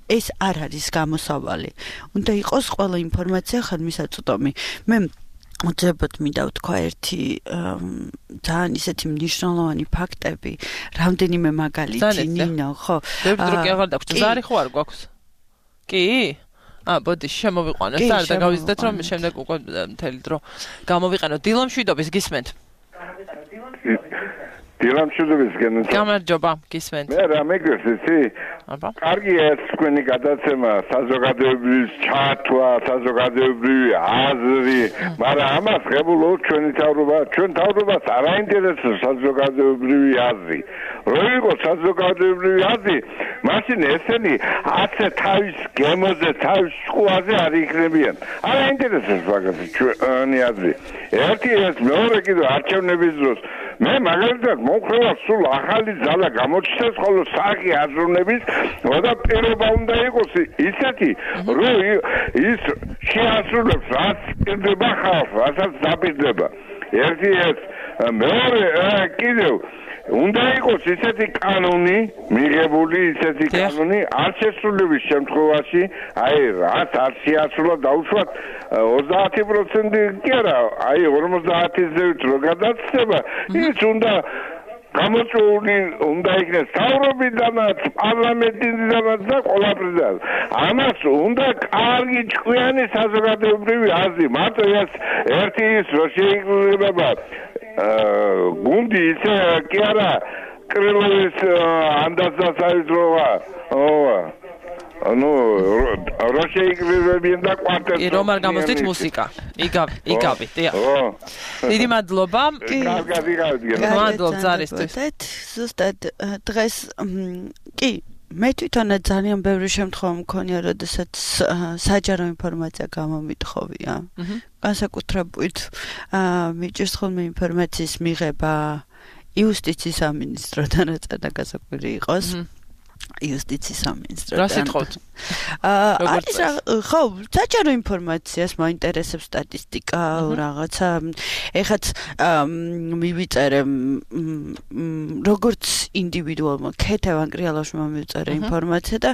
ეს არ არის გამოსავალი უნდა იყოს ყველა ინფორმაცია ხელმისაწვდომი მე უძებოდ მინდა ვთქვა ერთი ძალიან ისეთი მნიშვნელოვანი ფაქტები რამდენიმე მაგალითი ნინო ხო ბევრი აღარ დაგვჭირდა ზარი ხო არ გვაქვს კი ბოდი შემოვიყვანოთ არ დაგავიზდეთ რომ შემდეგ უკვე მთელი დრო გამოვიყენოთ დილამშვიდობის გისმენთ დილამშვიდობის გენეთ გამარჯობა გისმენთ მე რა მეგრესი კარგია ეს თქვენი გადაცემა საზოგადოებრივ ჩართვა საზოგადოებრივი აზრი მაგრამ ამას ღებულობ ჩვენ თავრობას არ აინტერესებს საზოგადოებრივი აზრი რო იყოს საზოგადოებრივი აზრი მაშინ ესენი ასე თავის გემოზე თავის შუაზე არ იქნებიან არ აინტერესებს მაგას ჩვენი აზრი ერთი ეს მეორე კიდევ არჩევნების დროს მე მაგალითად მომხრევა სულ ახალი ძალა გამოჩნდეს ხოლო საქმე აზროვნების და პირობა უნდა იყოს ისეთი რომ ის შეასრულებს რაც პირდება ხალხს რასაც დაპირდება ერთი ეს მეორე კიდევ უნდა იყოს ისეთი კანონი მიღებული ისეთი კანონი არ შესრულების შემთხვევაში აი რაც არ შეასრულა დაუშვათ 30% კი არა აი 50%-ით რო გადაცდება ის უნდა გამოწვეული უნდა იქნეს თავრობიდანაც პარლამენტიდანაც და ყველაფრიდან ამას უნდა კარგი ჭკვიანი საზოგადოებრივი აზრი მარტო ეს ერთი ის რო შეიძლება გუნდი ისე კი არა კრილოვის ანდაზასაიძროვა რო შეიკრიბებიან და კვარტეტი რომ არ გამოსდით მუსიკა იგავი დიდი მადლობა მადლობა ზარისთვის ზუსტად დღეს კი მე თვითონაც ძალიან ბევრი შემთხვევა მქონია როდესაც საჯარო ინფორმაცია გამომითხოვია განსაკუთრებით მიჭირს ხოლმე ინფორმაციის მიღება იუსტიციის სამინისტროდან რაც დაგასაკვირი იყოს იუსტიციის სამინისტროდან რა სიტყვით არის ხო საჯარო ინფორმაციას მაინტერესებს სტატისტიკა რაღაცა ეხაც მივიწერე როგორც ინდივიდუალმა ქეთევან კრიალაშვილმა მივიწერე ინფორმაცია და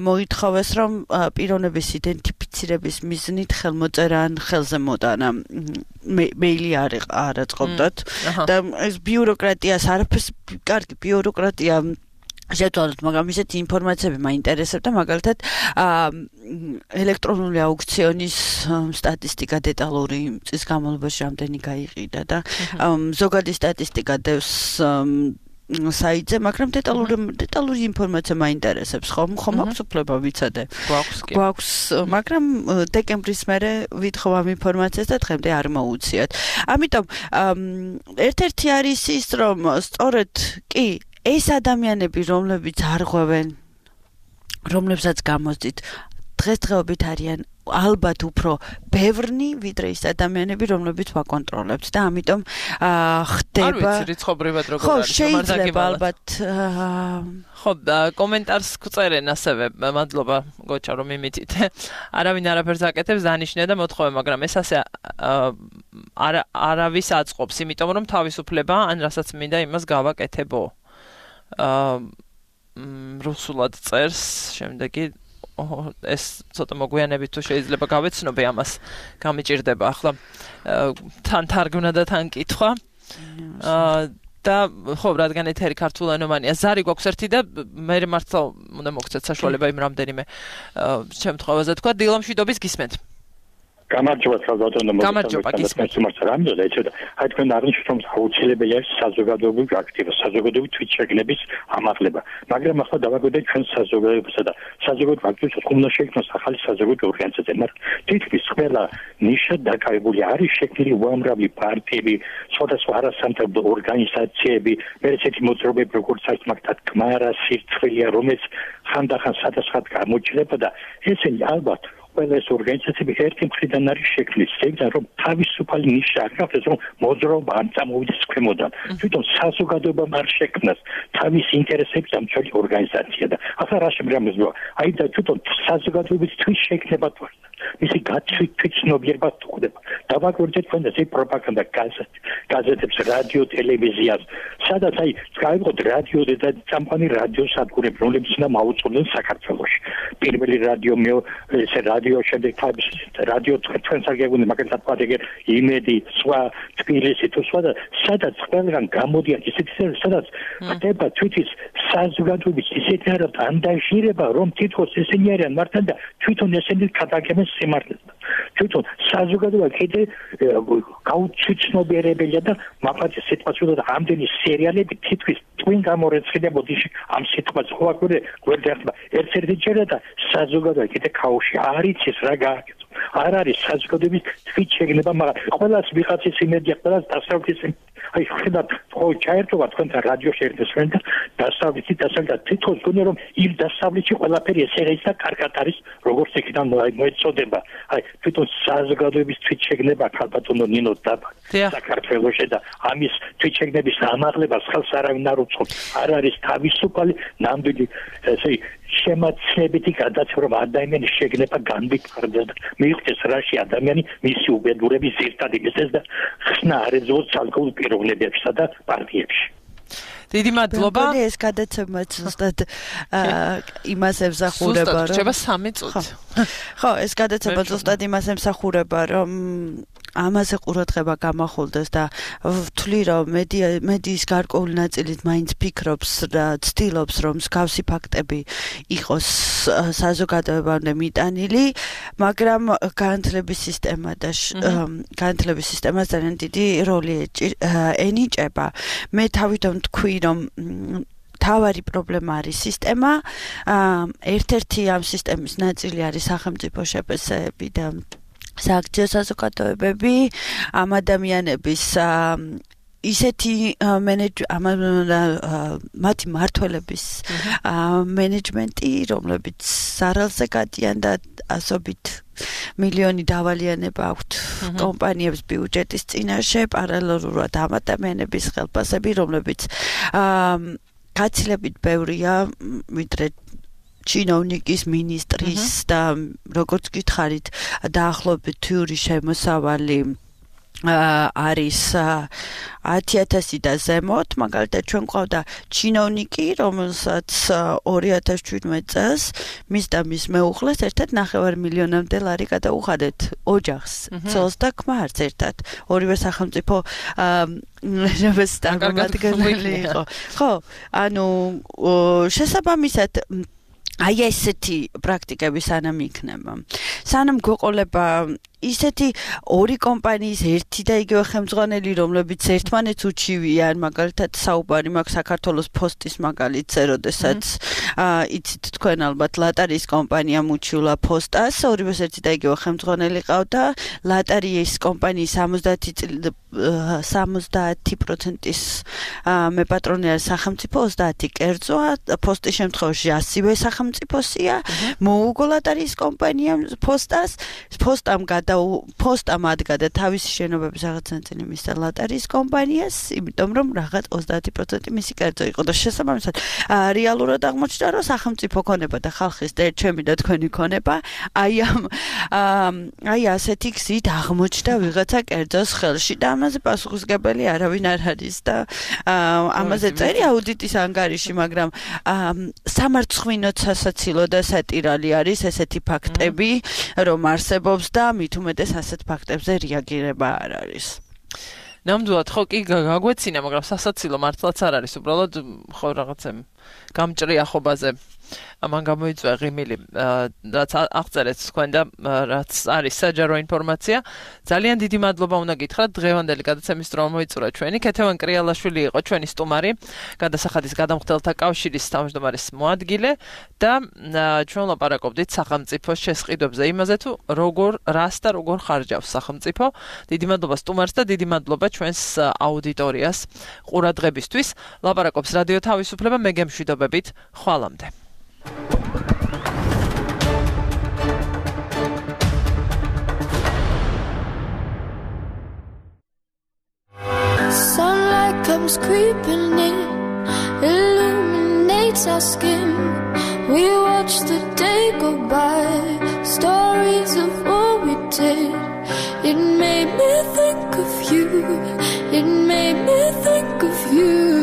მოითხოვეს რომ პიროვნების იდენტიფიცირების მიზნით ხელმოწერა ან ხელზე მოტანა მეილი არ აწყობდათ და ეს ბიუროკრატიას არაფერს კარგი ბიუროკრატია შეძლოთ მაგრამ ისეთი ინფორმაციები მაინტერესებდა მაგალითად ელექტრონული აუქციონის სტატისტიკა დეტალური წლის განმავლობაში რამდენი გაიყიდა და ზოგადი სტატისტიკა დევს საიტზე მაგრამ დეტალური ინფორმაცია მაინტერესებს ხომ აქვს უფლება ვიცადე გვაქვს მაგრამ დეკემბრის მერე ვითხოვ ამ ინფორმაციას და დღემდე არ მოუციათ ამიტომ ერთ-ერთი არის ის რომ სწორედ კი ეს ადამიანები რომლებიც არღვევენ რომლებსაც გამოსდით დღესდღეობით არიან ალბათ უფრო ბევრნი ვიდრე ის ადამიანები რომლებიც ვაკონტროლებთ და ამიტომ ხდება არ ვიცი რიცხობრივად როგორ ხო არის შეიძლება ალბათ ხო კომენტარს გწერენ ასევე მადლობა გოჩა რომ იმითით არავინ არაფერს აკეთებს დანიშნე და მოთხოვე მაგრამ ეს ასე არავის აწყობს იმიტომ რომ თავისუფლება ან რასაც მინდა იმას გავაკეთებო რუსულად წერს შემდეგი ეს ცოტა მოგვიანებით თუ შეიძლება გავეცნობე ამას გამიჭირდება ახლა თან თარგმნა და თან კითხვა და ხო რადგან ეთერი ქართულენოვანია ზარი გვაქვს ერთი და მე მართლა უნდა მოგცეთ საშუალება იმ რამდენიმე შემთხვევაზე თქვა დილამშვიდობის გისმენთ გამარჯობა საზოგადოებრივ გამარჯობა გისმენთ რამოდენად ეცოდა აი თქვენ აღნიშნეთ რომ აუცილებელია საზოგადოებრივი აქტივობა საზოგადოებრივი თვითშეგნების ამაღლება მაგრამ ახლა დავაგვიდეთ ჩვენ საზოგადოებასა და საზოგადოებრივ აქტივობას უნდა შექმნას ახალი საზოგადოებრივი ორგანიზაცია მაგრამ თითქმის ყველა ნიშა დაკავებული არის შექმნილი უამრავი პარტიები სხვადასხვა არასამთავრობო ორგანიზაციები მე ესეთი მოძრაობები როგორც არის მაგათ კმარა სირცხვილია რომელიც ხანდახან სადასხად გამოჩნდება და ესენი ალბათ ყველა ეს ორგანიზაციები ერთი მხრიდან არის შექმნილი, ზეგან რომ თავისუფალი ნიშა აქვს, რომ მოძრაობა არ წამოვიდეს ქვემოდან. თვითონ საზოგადოებამ არ შექმნას თავის ინტერესებს დამცველი ორგანიზაცია და ახლა რა შემიძლია? აი და თვითონ საზოგადოების თვით შექმნება თორე მისი გაცნობიერება ხდება. დავაკვირდეთ თქვენ ეს პროპაგანდა გაზეთებს, რადიო, ტელევიზიას, სადაც აი გავიყოთ რადიო და წამყვანი რადიო სადგურები, რომლებიც უნდა მაუწყდნენ საქართველოში. პირველი რადიო ესე რადიო შემდეგ რადიო თქვენ საგეგმო მაგალითად პატეგერ იმედი, სხვა თბილისი თუ სხვა და სადაც ყველგან გამოდიან ისეთი სადაც ხდება თვითის საზოგადოების ისეთი ანდაჟირება, რომ თითქოს ესენი არიან მართლა და თვითონ ესენი გადაგებენ სიმართლეს. თვითონ საზოგადოება კიდე გაუცნობიერებელია და მაგალითად სიტყვას ვუდგა ამდენი სერიალები თითქოს twin გამორეცხდებოდი ამ სიტყვას ხო აკვირე გვერდერტმა ერთ-ერთი ჯერა და საზოგადოება კიდე ქაოსში არ იცის რა გააკეთო არ არის საზოგადოების თვით შეგნება მაგრამ ყველას ვიღაცის იმედია ყველას დასავლეთის აი ხედავთ ხო ჩაერთვა თქვენთან რადიოში ერთესვენ და დასავლეთი თითქოს გონია რომ იმ დასავლეთში ყველაფერი ესე არის და კარგად არის როგორც იქიდან მოეწოდება აი თვითონ საზოგადოების თვით შეგნება ქალბატონო ნინო დაბა საქართველოში და ამის თვით შეგნების ამაღლებას ხელს არავინ არ უწყობს არ არის თავისუფალი ნამდვილი ესე შემაცნებითი გადაცემა რომ ადამიანის შეგნება განვითარდეს და მიიღწეს რაში ადამიანი მისი უბედურების ზირთად იმისეს და ხსნა არ ეძოს ალკოჰოლ პიროვნებებსა და პარტიებში დიდი მადლობა ეს გადაცემაც ზუსტად იმას ემსახურება რომ რჩება 3 წუთი ხო ეს გადაცემა ზუსტად იმას ემსახურება რომ ამაზე ყურადღება გამახვილდეს და ვთვლი რომ მედიის გარკვეული ნაწილით მაინც ფიქრობს და ცდილობს რომ მსგავსი ფაქტები იყოს საზოგადოებამდე მიტანილი მაგრამ განათლების სისტემა და განათლების სისტემას ძალიან დიდი როლი ენიჭება მე თავიდან თქვი რომ თავარი პრობლემა არის სისტემა ერთ-ერთი ამ სისტემის ნაწილი არის სახელმწიფო შეფასებები და სააქციო საზოგადოებები ამ ადამიანების ისეთი მათი მართველების მენეჯმენტი რომლებიც სარალზე გადიან და ასობით მილიონი დავალიანება აქვთ კომპანიებს ბიუჯეტის წინაშე პარალელურად ამ ადამიანების ხელფასები რომლებიც გაცილებით ბევრია ვიდრე ჩინოვნიკის მინისტრის და როგორც გითხარით დაახლოებით თვიური შემოსავალი არის 10,000 და ზემოთ მაგალითად ჩვენ ყავდა ჩინოვნიკი რომელსაც 2017 წელს მის და მის მეუღლეს ერთად 9 მილიონამდე ლარი გადაუხადეთ ოჯახს ცოლს და ქმარს ერთად ორივე სახელმწიფო წარმომადგენელი იყო ხო ანუ შესაბამისად აი ესეთი პრაქტიკები სანამ იქნება სანამ გვეყოლება ისეთი ორი კომპანიის ერთი და იგივე ხელმძღვანელი, რომლებიც ერთმანეთს უჩივიან, მაგალითად საუბარი მაქვს საქართველოს ფოსტის მაგალითზე, როდესაც იცით თქვენ ალბათ ლატარიის კომპანიამ უჩივლა ფოსტას, ორივეს ერთი და იგივე ხელმძღვანელი ყავდა, ლატარიის კომპანიის 70%-ის მეპატრონე არის სახელმწიფო, 30 კერძოა, ფოსტის შემთხვევაში ასევე სახელმწიფოსია, მოუგო ლატარიის კომპანიამ ფოსტას, ფოსტამ ადგადა თავისი შენობების რაღაც ნაწილი მისცა ლატარიის კომპანიას, იმიტომ რომ რაღაც 30% მისი კერძო იყო და შესაბამისად რეალურად აღმოჩნდა, რომ სახელმწიფო ქონება და ხალხის ჩემი და თქვენი ქონება აი ასეთი გზით აღმოჩნდა ვიღაცა კერძოს ხელში და ამაზე პასუხისმგებელი არავინ არ არის და ამაზე წერი აუდიტის ანგარიში, მაგრამ სამარცხვინო სასაცილო და სატირალი არის ესეთი ფაქტები, რომ არსებობს და მით უმეტეს ასეთ ფაქტებზე რეაგირება არ არის. ნამდვილად ხო კი გაგვეცინა, მაგრამ სასაცილო მართლაც არ არის, უბრალოდ ხო რაღაცა გამჭრია ხობაზე ამან გამოიწვია ღიმილი, რაც აღწერეთ თქვენ და რაც არის საჯარო ინფორმაცია. ძალიან დიდი მადლობა უნდა გითხრათ, დღევანდელი გადაცემის დრო მოიწურა ჩვენი. ქეთევან კრიალაშვილი იყო ჩვენი სტუმარი, გადასახადის გადამხდელთა კავშირის თავმჯდომარის მოადგილე და ჩვენ ლაპარაკობდით სახელმწიფოს შესყიდვებზე, იმაზე თუ რას და როგორ ხარჯავს სახელმწიფო. დიდი მადლობა სტუმარს და დიდი მადლობა ჩვენს აუდიტორიას ყურადღებისთვის. ლაპარაკობს რადიო თავისუფლება, მე გემშვიდობებით, ხვალამდე. Sunlight comes creeping in, illuminates our skin. We watch the day go by, stories of what we did. It made me think of you, it made me think of you.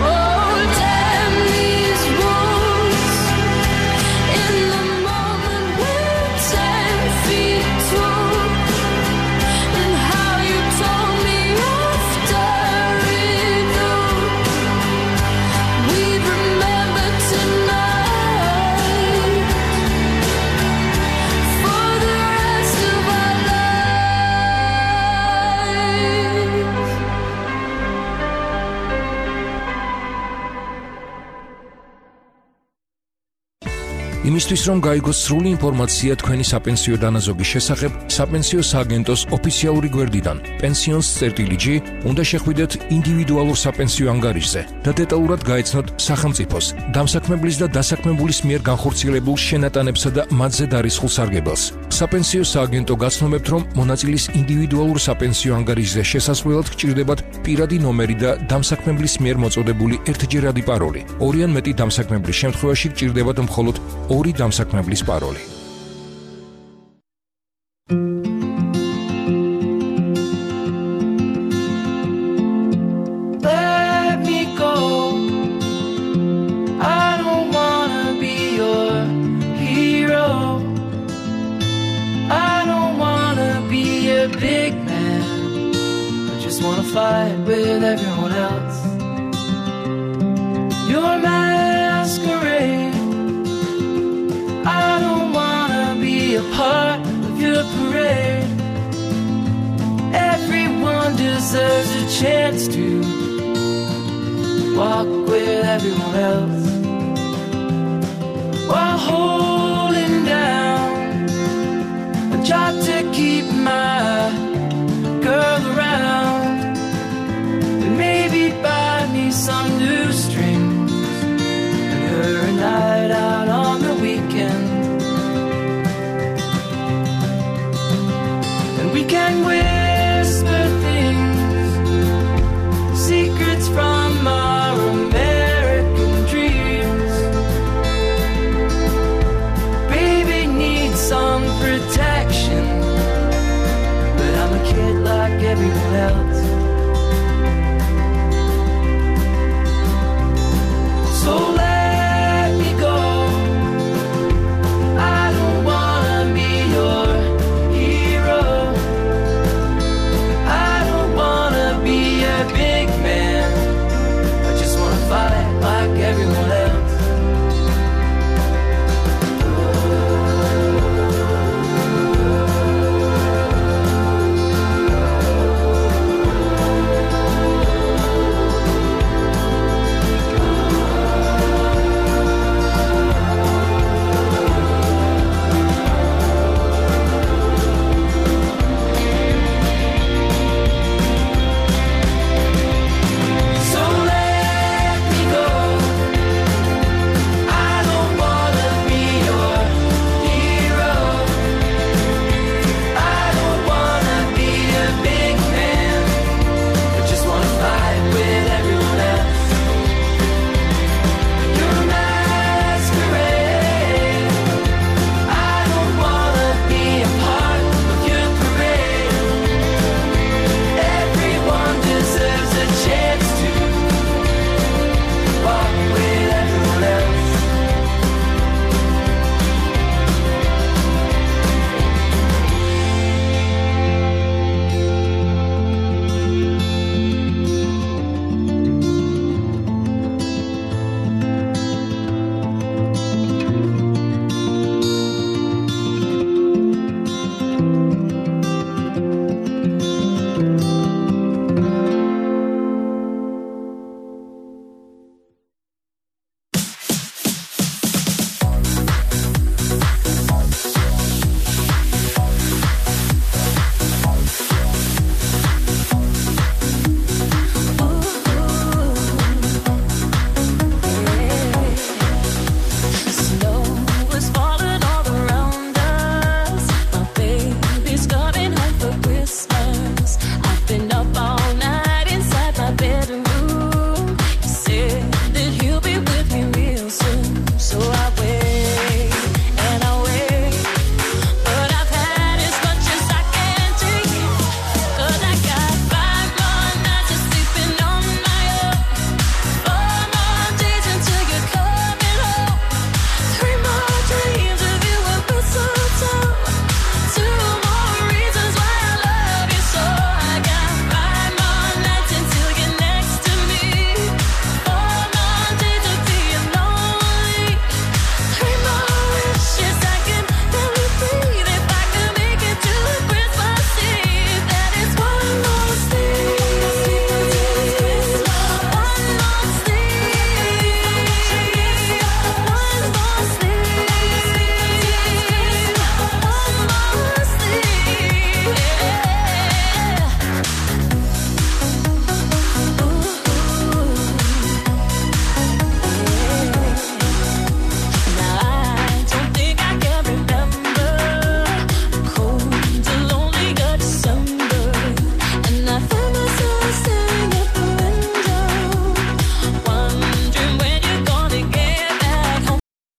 Oh, damn იმისთვის რომ გაიგოს სრული ინფორმაცია თქვენი საპენსიო დანაზოგის შესახებ, საპენსიო სააგენტოს ოფიციალური გვერდიდან pensions.g უნდა შეხვიდეთ ინდივიდუალურ საპენსიო ანგარიშზე და დეტალურად გაეცნოთ სახელმწიფოს, დამსაქმებლის და დასაქმებულის მიერ განხორციელებულ შენატანებსა და მათზე დარისხულ სარგებელს. საპენსიო სააგენტო გაცნობებთ, რომ მონაწილის ინდივიდუალურ საპენსიო ანგარიშზე შესასვლელად გჭირდებათ პირადი ნომერი და დამსაქმებლის მიერ მოწოდებული ერთჯერადი პაროლი. ორი ან მეტი დამსაქმებლის შემთხვევაში გჭირდებათ მხოლოდ ორი დამსაქმებლის პაროლი. Big man, I just wanna fight with everyone else. Your masquerade, I don't wanna be a part of your parade. Everyone deserves a chance to walk with everyone else.